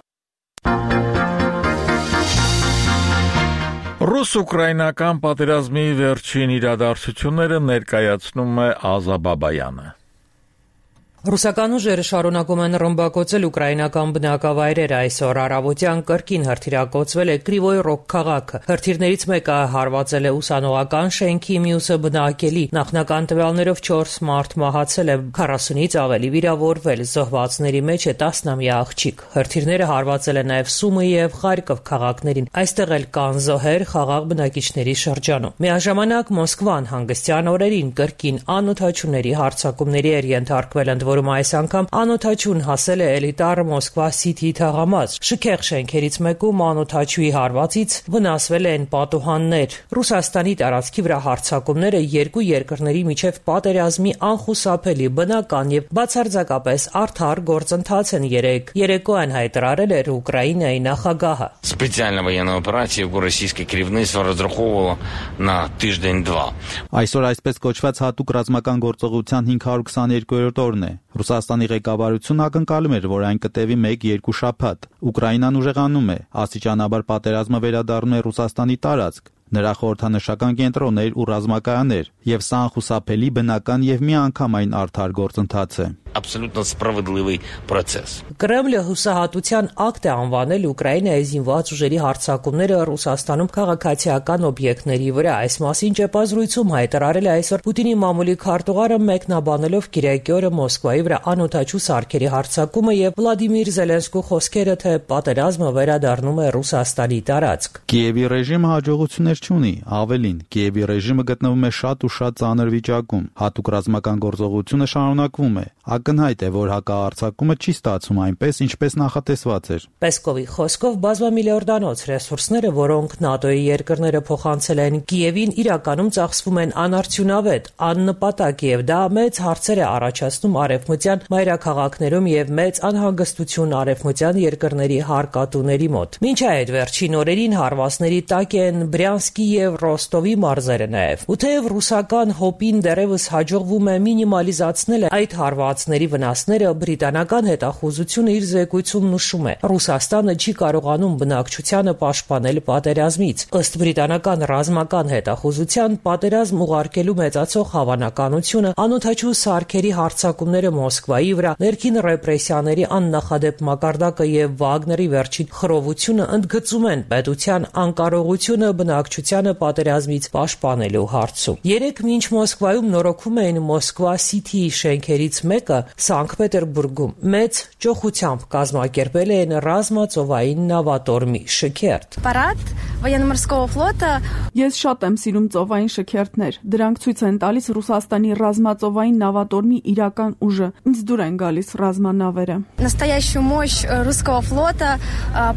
S1: Ռուս-ուկրաինական պատերազմի վերջին իրադարձությունները ներկայացնում է Ազա Բաբայանը։
S3: Ռուսական ուժերը շարունակում են ռմբակոծել ուկրաինական բնակավայրերը։ Այսօր առավոտյան կրկին հրթիռակոծվել է Կրիվոյ Ռոգ քաղաքը։ Հրթիռներից մեկը հարվածել է ուսանողական շենքի, մյուսը բնակելի։ Նախնական տվյալներով 4 մարդ մահացել է, 40-ից ավելի վիրավորվել։ Զոհվածների մեջ է 10-ամյա աղջիկ։ Հրթիռները հարվածել են նաև Սումի եւ Խարկով քաղաքներին։ Այստեղ էլ կան զոհեր խաղաղ բնակիչների շրջանում։ Միաժամանակ Մոսկվան հանգստյան օրերին կրկին անօթաչուների հարձակումների էր ենթարկվել, որում այս անգամ անօթաչուն հասել է էլիտար Մոսկվա Սիթի թաղամաս։ Շքեղ շենքերից մեկում անօթաչուի հարվածից վնասվել են պատուհաններ։ Ռուսաստանի տարածքի վրա հարձակումները երկու երկրների միջև պատերազմի անխուսափելի բնական եւ բացարձակապես արդար գործընթաց են երեկոյան հայտարարել էր Ուկրաինայի նախագահը։
S4: Специальная военная операция у российской керівництва розраховувала на тиждень-два.
S2: Այսօր այսպես կոչված հատուկ ռազմական գործողության 522-րդ օրն է։ Ռուսաստանի ղեկավարությունն ակնկալում էր, որ այն կտևի 1-2 շաբաթ։ Ուկրաինան ուժեղանում է, աստիճանաբար պատերազմը վերադառնում է Ռուսաստանի տարածք։ Նրա խորհրդանշական կենտրոններ ու ռազմակայաններ, եւ սա անխուսափելի բնական եւ միանգամայն արդար գործընթաց է։
S4: Абсолютно справедливый процесс.
S3: Կրեմլը հուսահատության ակտ է անվանել Ուկրաինայի զինված ուժերի հարձակումները Ռուսաստանում քաղաքացիական օբյեկտների վրա։ Այս մասին ճեպազրույցում հայտարարել է այսօր Պուտինի մամուլի քարտուղարը, մեկնաբանելով Կիրակի օրը Մոսկվայի վրա անօթաչու սարքերի հարձակումը եւ Վլադիմիր Զելենսկու խոսքերը, թե պատերազմը վերադառնում է Ռուսաստանի տարածք։
S2: Կիևի ռեժիմը հաջողություններ չունի, ավելին, Կիևի ռեժիմը գտնվում է շատ ու շատ ծանր վիճակում։ Հատուկ ռազմական գործողությունը շարունակվում է։ Ակնհայտ է, որ հակահարձակումը չի ստացվում այնպես, ինչպես նախատեսված էր։
S3: Պեսկովի խոսքով բազմամիլիարդանոց ռեսուրսները, որոնք ՆԱՏՕ-ի երկրները փոխանցել են Կիևին, իրականում ծախսվում են անարդյունավետ, աննպատակ եւ դա մեծ հարցեր է առաջացնում արևմտյան մայրաքաղաքներում եւ մեծ անհանգստություն արևմտյան երկրների հարկատուների մոտ։ Մինչ այդ վերջին օրերին հարվածների տակ են Բրյանսկի եւ Ռոստովի մարզերը նաեւ։ Ու թեև ռուսական հոպին դեռևս հաջողվում է մինիմալիզացնել այդ հարվածների վնասները, բրիտանական հետախուզությունը իր զեկույցում նշում է. Ռուսաստանը չի կարողանում բնակչությանը պաշտպանել պատերազմից։ Ըստ բրիտանական ռազմական հետախուզության, պատերազմ ուղարկելու մեծացող հավանականությունը, անօթաչու սարքերի հարձակումները Մոսկվայի վրա, ներքին ռեպրեսիաների աննախադեպ մակարդակը եւ Վագների վերջին խռովությունը ընդգծում են պետության անկարողությունը բնակչությանը պատերազմից պաշտպանելու հարցում։ Երեք մինչ Մոսկվայում նորոգում էին Մոսկվա Սիթիի շենքերից մեկը, Սանկտ Պետերբուրգում մեծ ճոխությամբ կազմակերպել են ռազմածովային նավատորմի շքերթ։
S7: Парад военно-морского флота.
S10: Ես շատ եմ սիրում ծովային շքերթներ։ Դրանք ցույց են տալիս Ռուսաստանի ռազմածովային նավատորմի իրական ուժը։ Ինձ դուր են գալիս ռազմանավերը։
S7: Настоящую мощь русского флота.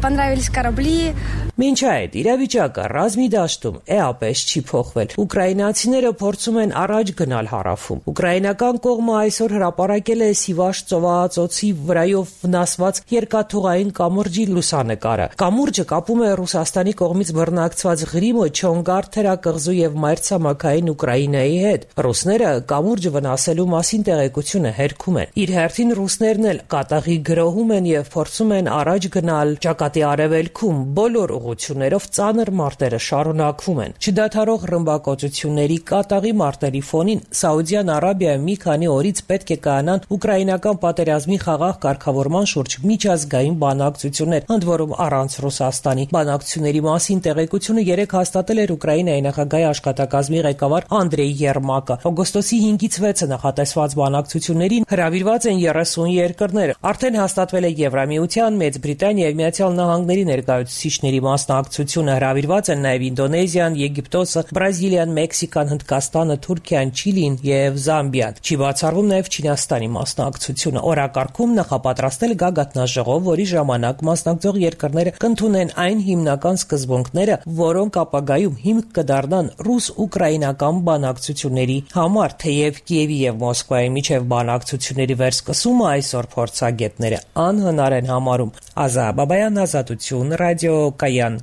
S7: Понравились корабли.
S3: Մինչ այդ իրավիճակը ռազմի դաշտում էապես չի փոխվել։ Ուկրաինացիները փորձում են առաջ գնալ հարավում։ Ուկրաինական կողմը այսօր հրապարակել է Սիվաշ ծովահածոցի վրայով վնասված երկաթուղային կամուրջի լուսանկարը։ Կամուրջը կապում է Ռուսաստանի կողմից բռնակցված Ղրիմը, Չոնգար թերակղզու եւ մայրցամաքային Ուկրաինայի հետ։ Ռուսները կամուրջը վնասելու մասին տեղեկությունը հերքում են։ Իր հերթին ռուսներն էլ կատաղի գրոհում են եւ փորձում են առաջ գնալ ճակատի արևելքում։ Բոլոր ուղղություններով ծանր մարտերը շարունակվում են։ Չդադարող ռմբակոծությունների կատաղի մարտերի ֆոնին Սաուդյան Արաբիայում մի քանի օրից պետք է կայանան ուկրաինական պատերազմի խաղաղ կարգավորման շուրջ միջազգային բանակցություններ, ընդ որում առանց Ռուսաստանի։ Բանակցությունների մասին մասին տեղեկությունը երեկ հաստատել էր Ուկրաինայի նախագահի աշխատակազմի ղեկավար Անդրեյ Երմակը։ Օգոստոսի 5-ից 6-ը նախատեսված բանակցություններին հրավիրված են 30 երկրներ։ Արդեն հաստատվել է Եվրամիության, Մեծ Բրիտանիայի եւ Միացյալ Նահանգների ներկայացուցիչների մասնակցությունը։ Հրավիրված են նաեւ Ինդոնեզիան, Եգիպտոսը, Բրազիլիան, Մեքսիկան, Հնդկաստանը, Թուրքիան, Չիլին եւ Զամբիան։ Չի բացառվում նաեւ Չինաստանի մասնակցությունը։ Օրակարգում նախապատրաստել գագաթնաժողով, որի ժամանակ մասնակցող երկրները կընդունեն այն հիմնական սկզբունքները, որոնք ապագայում հիմք կդառնան ռուս-ուկրաինական բանակցությունների համար։ Թեև Կիևի եւ Մոսկվայի միջև բանակցությունների վերսկսումը այսօր փորձագետները անհնար են համարում։ Ազա Բաբայան, Ազատություն, ռադիոկայան։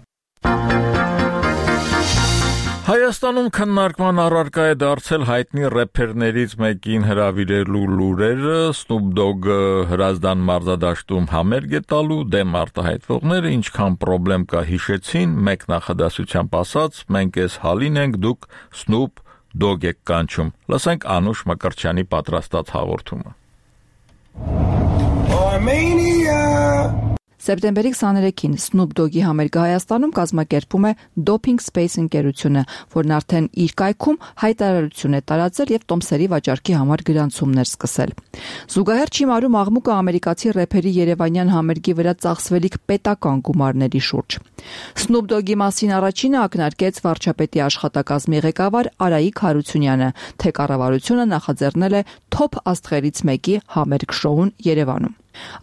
S1: Հայաստանում քննարկման առարկա է դարձել հայտնի рэփերներից մեկին հրավիրելու լուրերը, Snoop Dogg-ը Հրազդան մարզադաշտում համերգ է տալու, դեմ արտահայտվողները ինչքան պրոբլեմ կա հիշեցին, մեկ նախադասությամբ ասած, մենք էս հալին ենք, դուք Snoop Dogg եք կանչում։ Լսենք Անուշ Մկրտչյանի պատրաստած հաղորդումը։
S8: Սեպտեմբերի 23-ին Snoop Dogg-ի համերգը Հայաստանում կազմակերպում է Doping Space ընկերությունը, որն արդեն իր կայքում հայտարարություն է տարածել եւ տոմսերի վաճառքի համար գրանցումներ սկսել։ Զուգահեռ չիմարում աղմուկը ամերիկացի рэփերի երևանյան համերգի վրա ծախսվելիք պետական գումարների շուրջ։ Snoop Dogg-ի մասին առաջինը ակնարկեց վարչապետի աշխատակազմի ղեկավար Արայիկ Հարությունյանը, թե կառավարությունը նախաձեռնել է թոփ աստղերից մեկի համերգ շոուն Երևանում։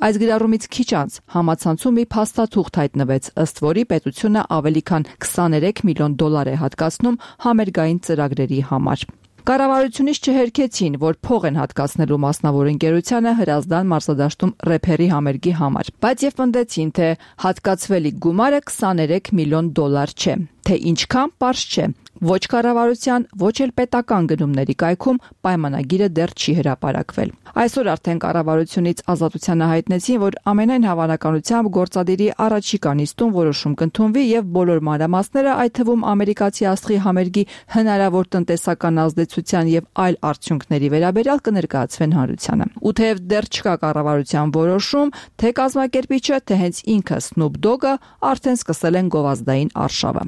S8: Այս գրառումից քիչ անց համացանցում մի փաստաթուղթ հայտնվեց, ըստ որի պետությունը ավելի քան 23 միլիոն դոլար է հատկացնում համերգային ծրագրերի համար։ Կառավարությունից չհերքեցին, որ փող են հատկացնելու մասնավոր ընկերությանը Հրազդան մարզադաշտում рэփերի համերգի համար, բայց եւ պնդեցին, թե հատկացվելիք գումարը 23 միլիոն դոլար չէ, թե ինչքան պարզ չէ։ Ոչ կառավարության, ոչ էլ պետական գնումների կայքում պայմանագիրը դեռ չի հրապարակվել։ Այսօր արդեն կառավարությունից Ազատությանը հայտնեցին, որ ամենայն հավանականությամբ գործադիրի առաջիկա նիստում որոշում կընդունվի եւ բոլոր մանրամասները, այդ թվում ամերիկացի աստղի համերգի հնարավոր տնտեսական ազդեցության եւ այլ արդյունքների վերաբերյալ կներկայացվեն հանրությանը։ Ու թեև դեռ չկա կառավարության որոշում, թե կազմակերպիչը, թե հենց ինքը Snoop Dogg-ը արդեն սկսել են գովազդային արշավը։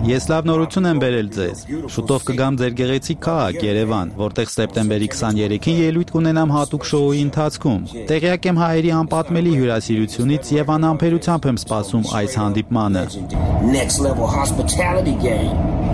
S2: Ես լավ նորություն եմ բերել ձեզ։ Շուտով կգամ ձեր գեղեցիկ քաղաք Երևան, որտեղ սեպտեմբերի 23-ին ելույթ կունենամ հատուկ շոուի ընթացքում։ Տեղյակ եմ հայերի անպատմելի հյուրասիրությունից եւ անհամբերությամբ եմ սպասում այս հանդիպմանը։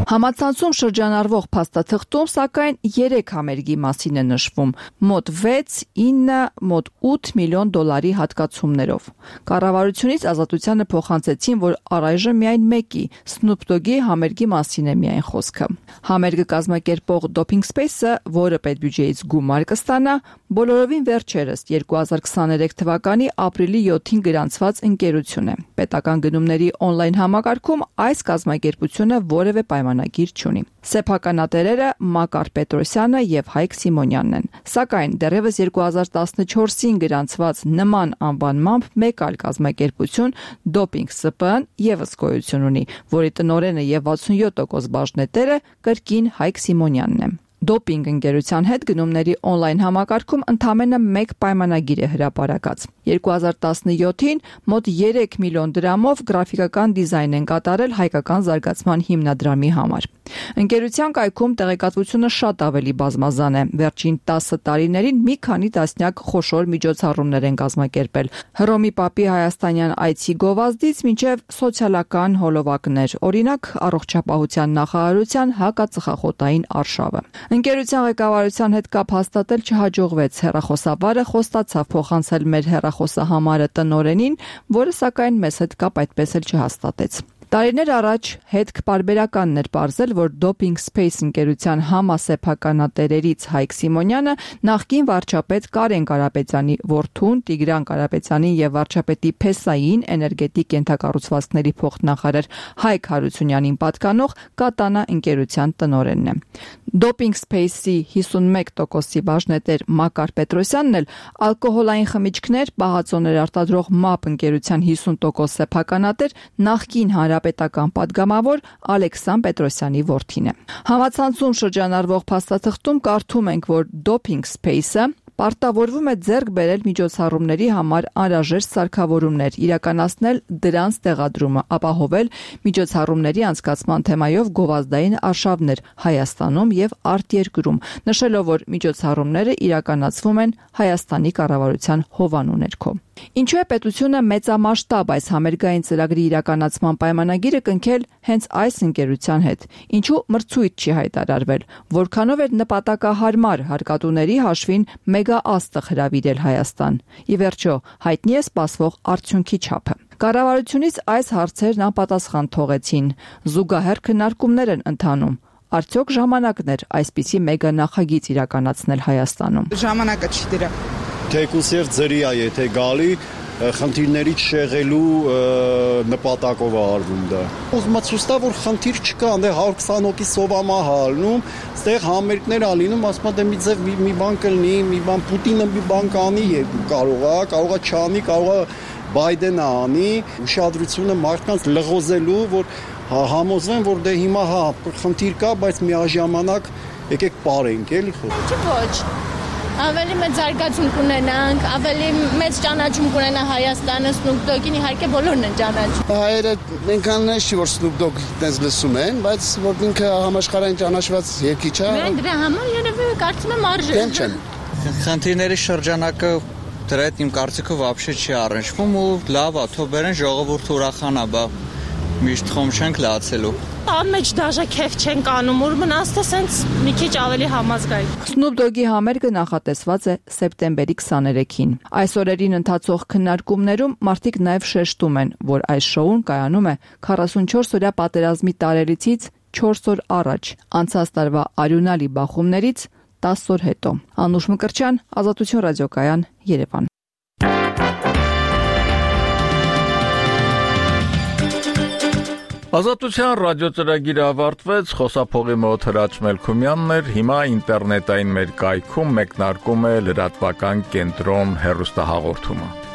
S8: Համացանցում շրջանառվող փաստաթղթում սակայն 3 համերգի մասին է նշվում՝ մոտ 6, 9, մոտ 8 միլիոն դոլարի հատկացումներով։ Կառավարությունից Ազատությանը փոխանցեցին, որ առայժմ միայն մեկի Snoop Dogg-ի համերգի մասին է միայն խոսքը։ Համերգը կազմակերպող Doping Space-ը, որը պետբյուջեից գումար կստանա, բոլորովին վերջերս 2023 թվականի ապրիլի 7-ին գրանցված ընկերություն է։ Պետական գնումների on-line համակարգում այս կազմակերպությունը որևէ պայմանագիր չունի։ Սեփականատերերը Մակար Պետրոսյանը եւ Հայկ Սիմոնյանն են։ Սակայն դեռևս 2014-ին գրանցված նման անվանմամբ մեկ այլ կազմակերպություն Doping SP-ն եւս գոյություն ունի, որի տնօրենը եւ 67% բաժնետերը կրկին Հայկ Սիմոնյանն է։ Դոպինգ ընկերության հետ գնումների on-line համակարգում ընդամենը մեկ պայմանագիր է հրապարակած։ 2017-ին մոտ 3 միլիոն դրամով գրաֆիկական դիզայն են կատարել հայկական զարգացման հիմնադրամի համար։ Ընկերության կայքում տեղեկատվությունը շատ ավելի բազմազան է։ Վերջին 10 տարիներին մի քանի տասնյակ խոշոր միջոցառումներ են կազմակերպել։ Հռոմի Պապի հայաստանյան այցի գովազդից մինչև սոցիալական հոլովակներ, օրինակ առողջապահության նախարարության հակածխախոտային արշավը։ Ընկերության ղեկավարության հետ կապ հաստատել չհաջողվեց, հեռախոսավարը խոստացավ փոխանցել մեր հեռախոսահամարը տնօրենին, որը սակայն մեզ հետ կապ այդպես էլ չհաստատեց։ Տարիներ առաջ հետք պարբերականն էր պարզել, որ Doping Space ընկերության համասեփականատերերից Հայկ Սիմոնյանը նախկին վարչապետ Կարեն Կարապետյանի որդուն, Տիգրան Կարապետյանին եւ վարչապետի Փեսային էներգետիկ ենթակառուցվածքների փոխնախարար Հայկ Հարությունյանին պատկանող Կատանա ընկերության տնօրենն է։ Doping Space-ի 51%-ի բաժնետեր Մակար Պետրոսյանն էլ ալկոհոլային խմիչքներ, պահածոներ արտադրող MAP ընկերության 50% սեփականատեր նախկին հանրապետական падգամավոր Ալեքսան Պետրոսյանի որդին է։ Համացանցում շրջանառվող փաստաթղթում կարդում ենք, որ Doping Space-ը պարտավորվում է ձեռք բերել միջոցառումների համար անհրաժեշտ սարքավորումներ, իրականացնել դրանց տեղադրումը, ապահովել միջոցառումների անցկացման թեմայով գովազդային արշավներ Հայաստանում եւ արտերկրում, նշելով, որ միջոցառումները իրականացվում են Հայաստանի կառավարության հովանու ներքո։ Ինչու է պետությունը մեծամասշտաբ այս համերգային ծրագրի իրականացման պայմանագիրը կնքել հենց այս ընկերության հետ։ Ինչու մրցույթ չի հայտարարվել, որքանով էր նպատակահարմար հարկատուների հաշվին մեգաաստղ հրավիրել Հայաստան։ Ի վերջո, հայտնի է սպասվող արդյունքի չափը։ Կառավարությունից այս հարցերն անպատասխան թողեցին։ Զուգահեռ քննարկումներ են ընթանում։ Արդյոք ժամանակն էր այսպիսի մեգա նախագիծ իրականացնել Հայաստանում։
S9: Ժամանակը չի դրա։
S11: Թեկուս եւ ձրիա, եթե գալի խնդիրներից շեղելու նպատակով արվում դա։ Ուզում եմ ցույց տա, որ խնդիր չկա, դե 120 հոգի սովամա հալնում, այստեղ համերգներ ա լինում, ասում եմ դե մի ձև մի բան կլինի, մի բան Պուտինը մի բան կանի, կարողա չանի, կարողա Բայդենը անի, ուշադրությունը մարդկանց լղոզելու, որ համոզվեն, որ դե հիմա խնդիր կա, բայց միաժամանակ եկեք պարենք, էլի խո։
S12: Ոչ։ Ավելի մեծ զարգացում կունենանք, ավելի մեծ ճանաչում կունենա Հայաստանը, Snoop Dogg-ին, իհարկե բոլորն են ճանաչում։
S13: Հայերը այնքան չի, որ Snoop Dogg-ը դες լսում են, բայց որ ինքը համաշխարհային ճանաչված երգիչ է։
S12: Մենք դրա համար երևի կարծում եմ արժե։
S13: Դեմ չեն։
S14: Խնդիրների շրջանակը դրա հետ իմ կարծիքով вообще չի առնչվում ու լավ է, թող բերեն ժողովուրդը ուրախանա, բա միշտ խոմ չենք լացելու։
S12: Անմեջ դաժե քեֆ չենք անում, որ մնացքը սենց մի քիչ ավելի համազգային։
S8: Snoop Dogg-ի համերգը նախատեսված է սեպտեմբերի 23-ին։ Այս օրերին ընթացող քննարկումներում մարդիկ նաև շեշտում են, որ այս շոուն կայանում է 44-օրյա պատերազմի տարելիցից 4 օր առաջ, անցած տարվա արյունալի բախումներից 10 օր հետո։ Անուշ Մկրտչյան, Ազատություն ռադիոկայան, Երևան։
S1: Ազատության ռադիոծրագիրը ավարտվեց, խոսափողի մոտ Հրաչ Մելքումյանն էր, հիմա ինտերնետային մեր կայքում մեկնարկում է լրատվական կենտրոն հեռուստահաղորդումը։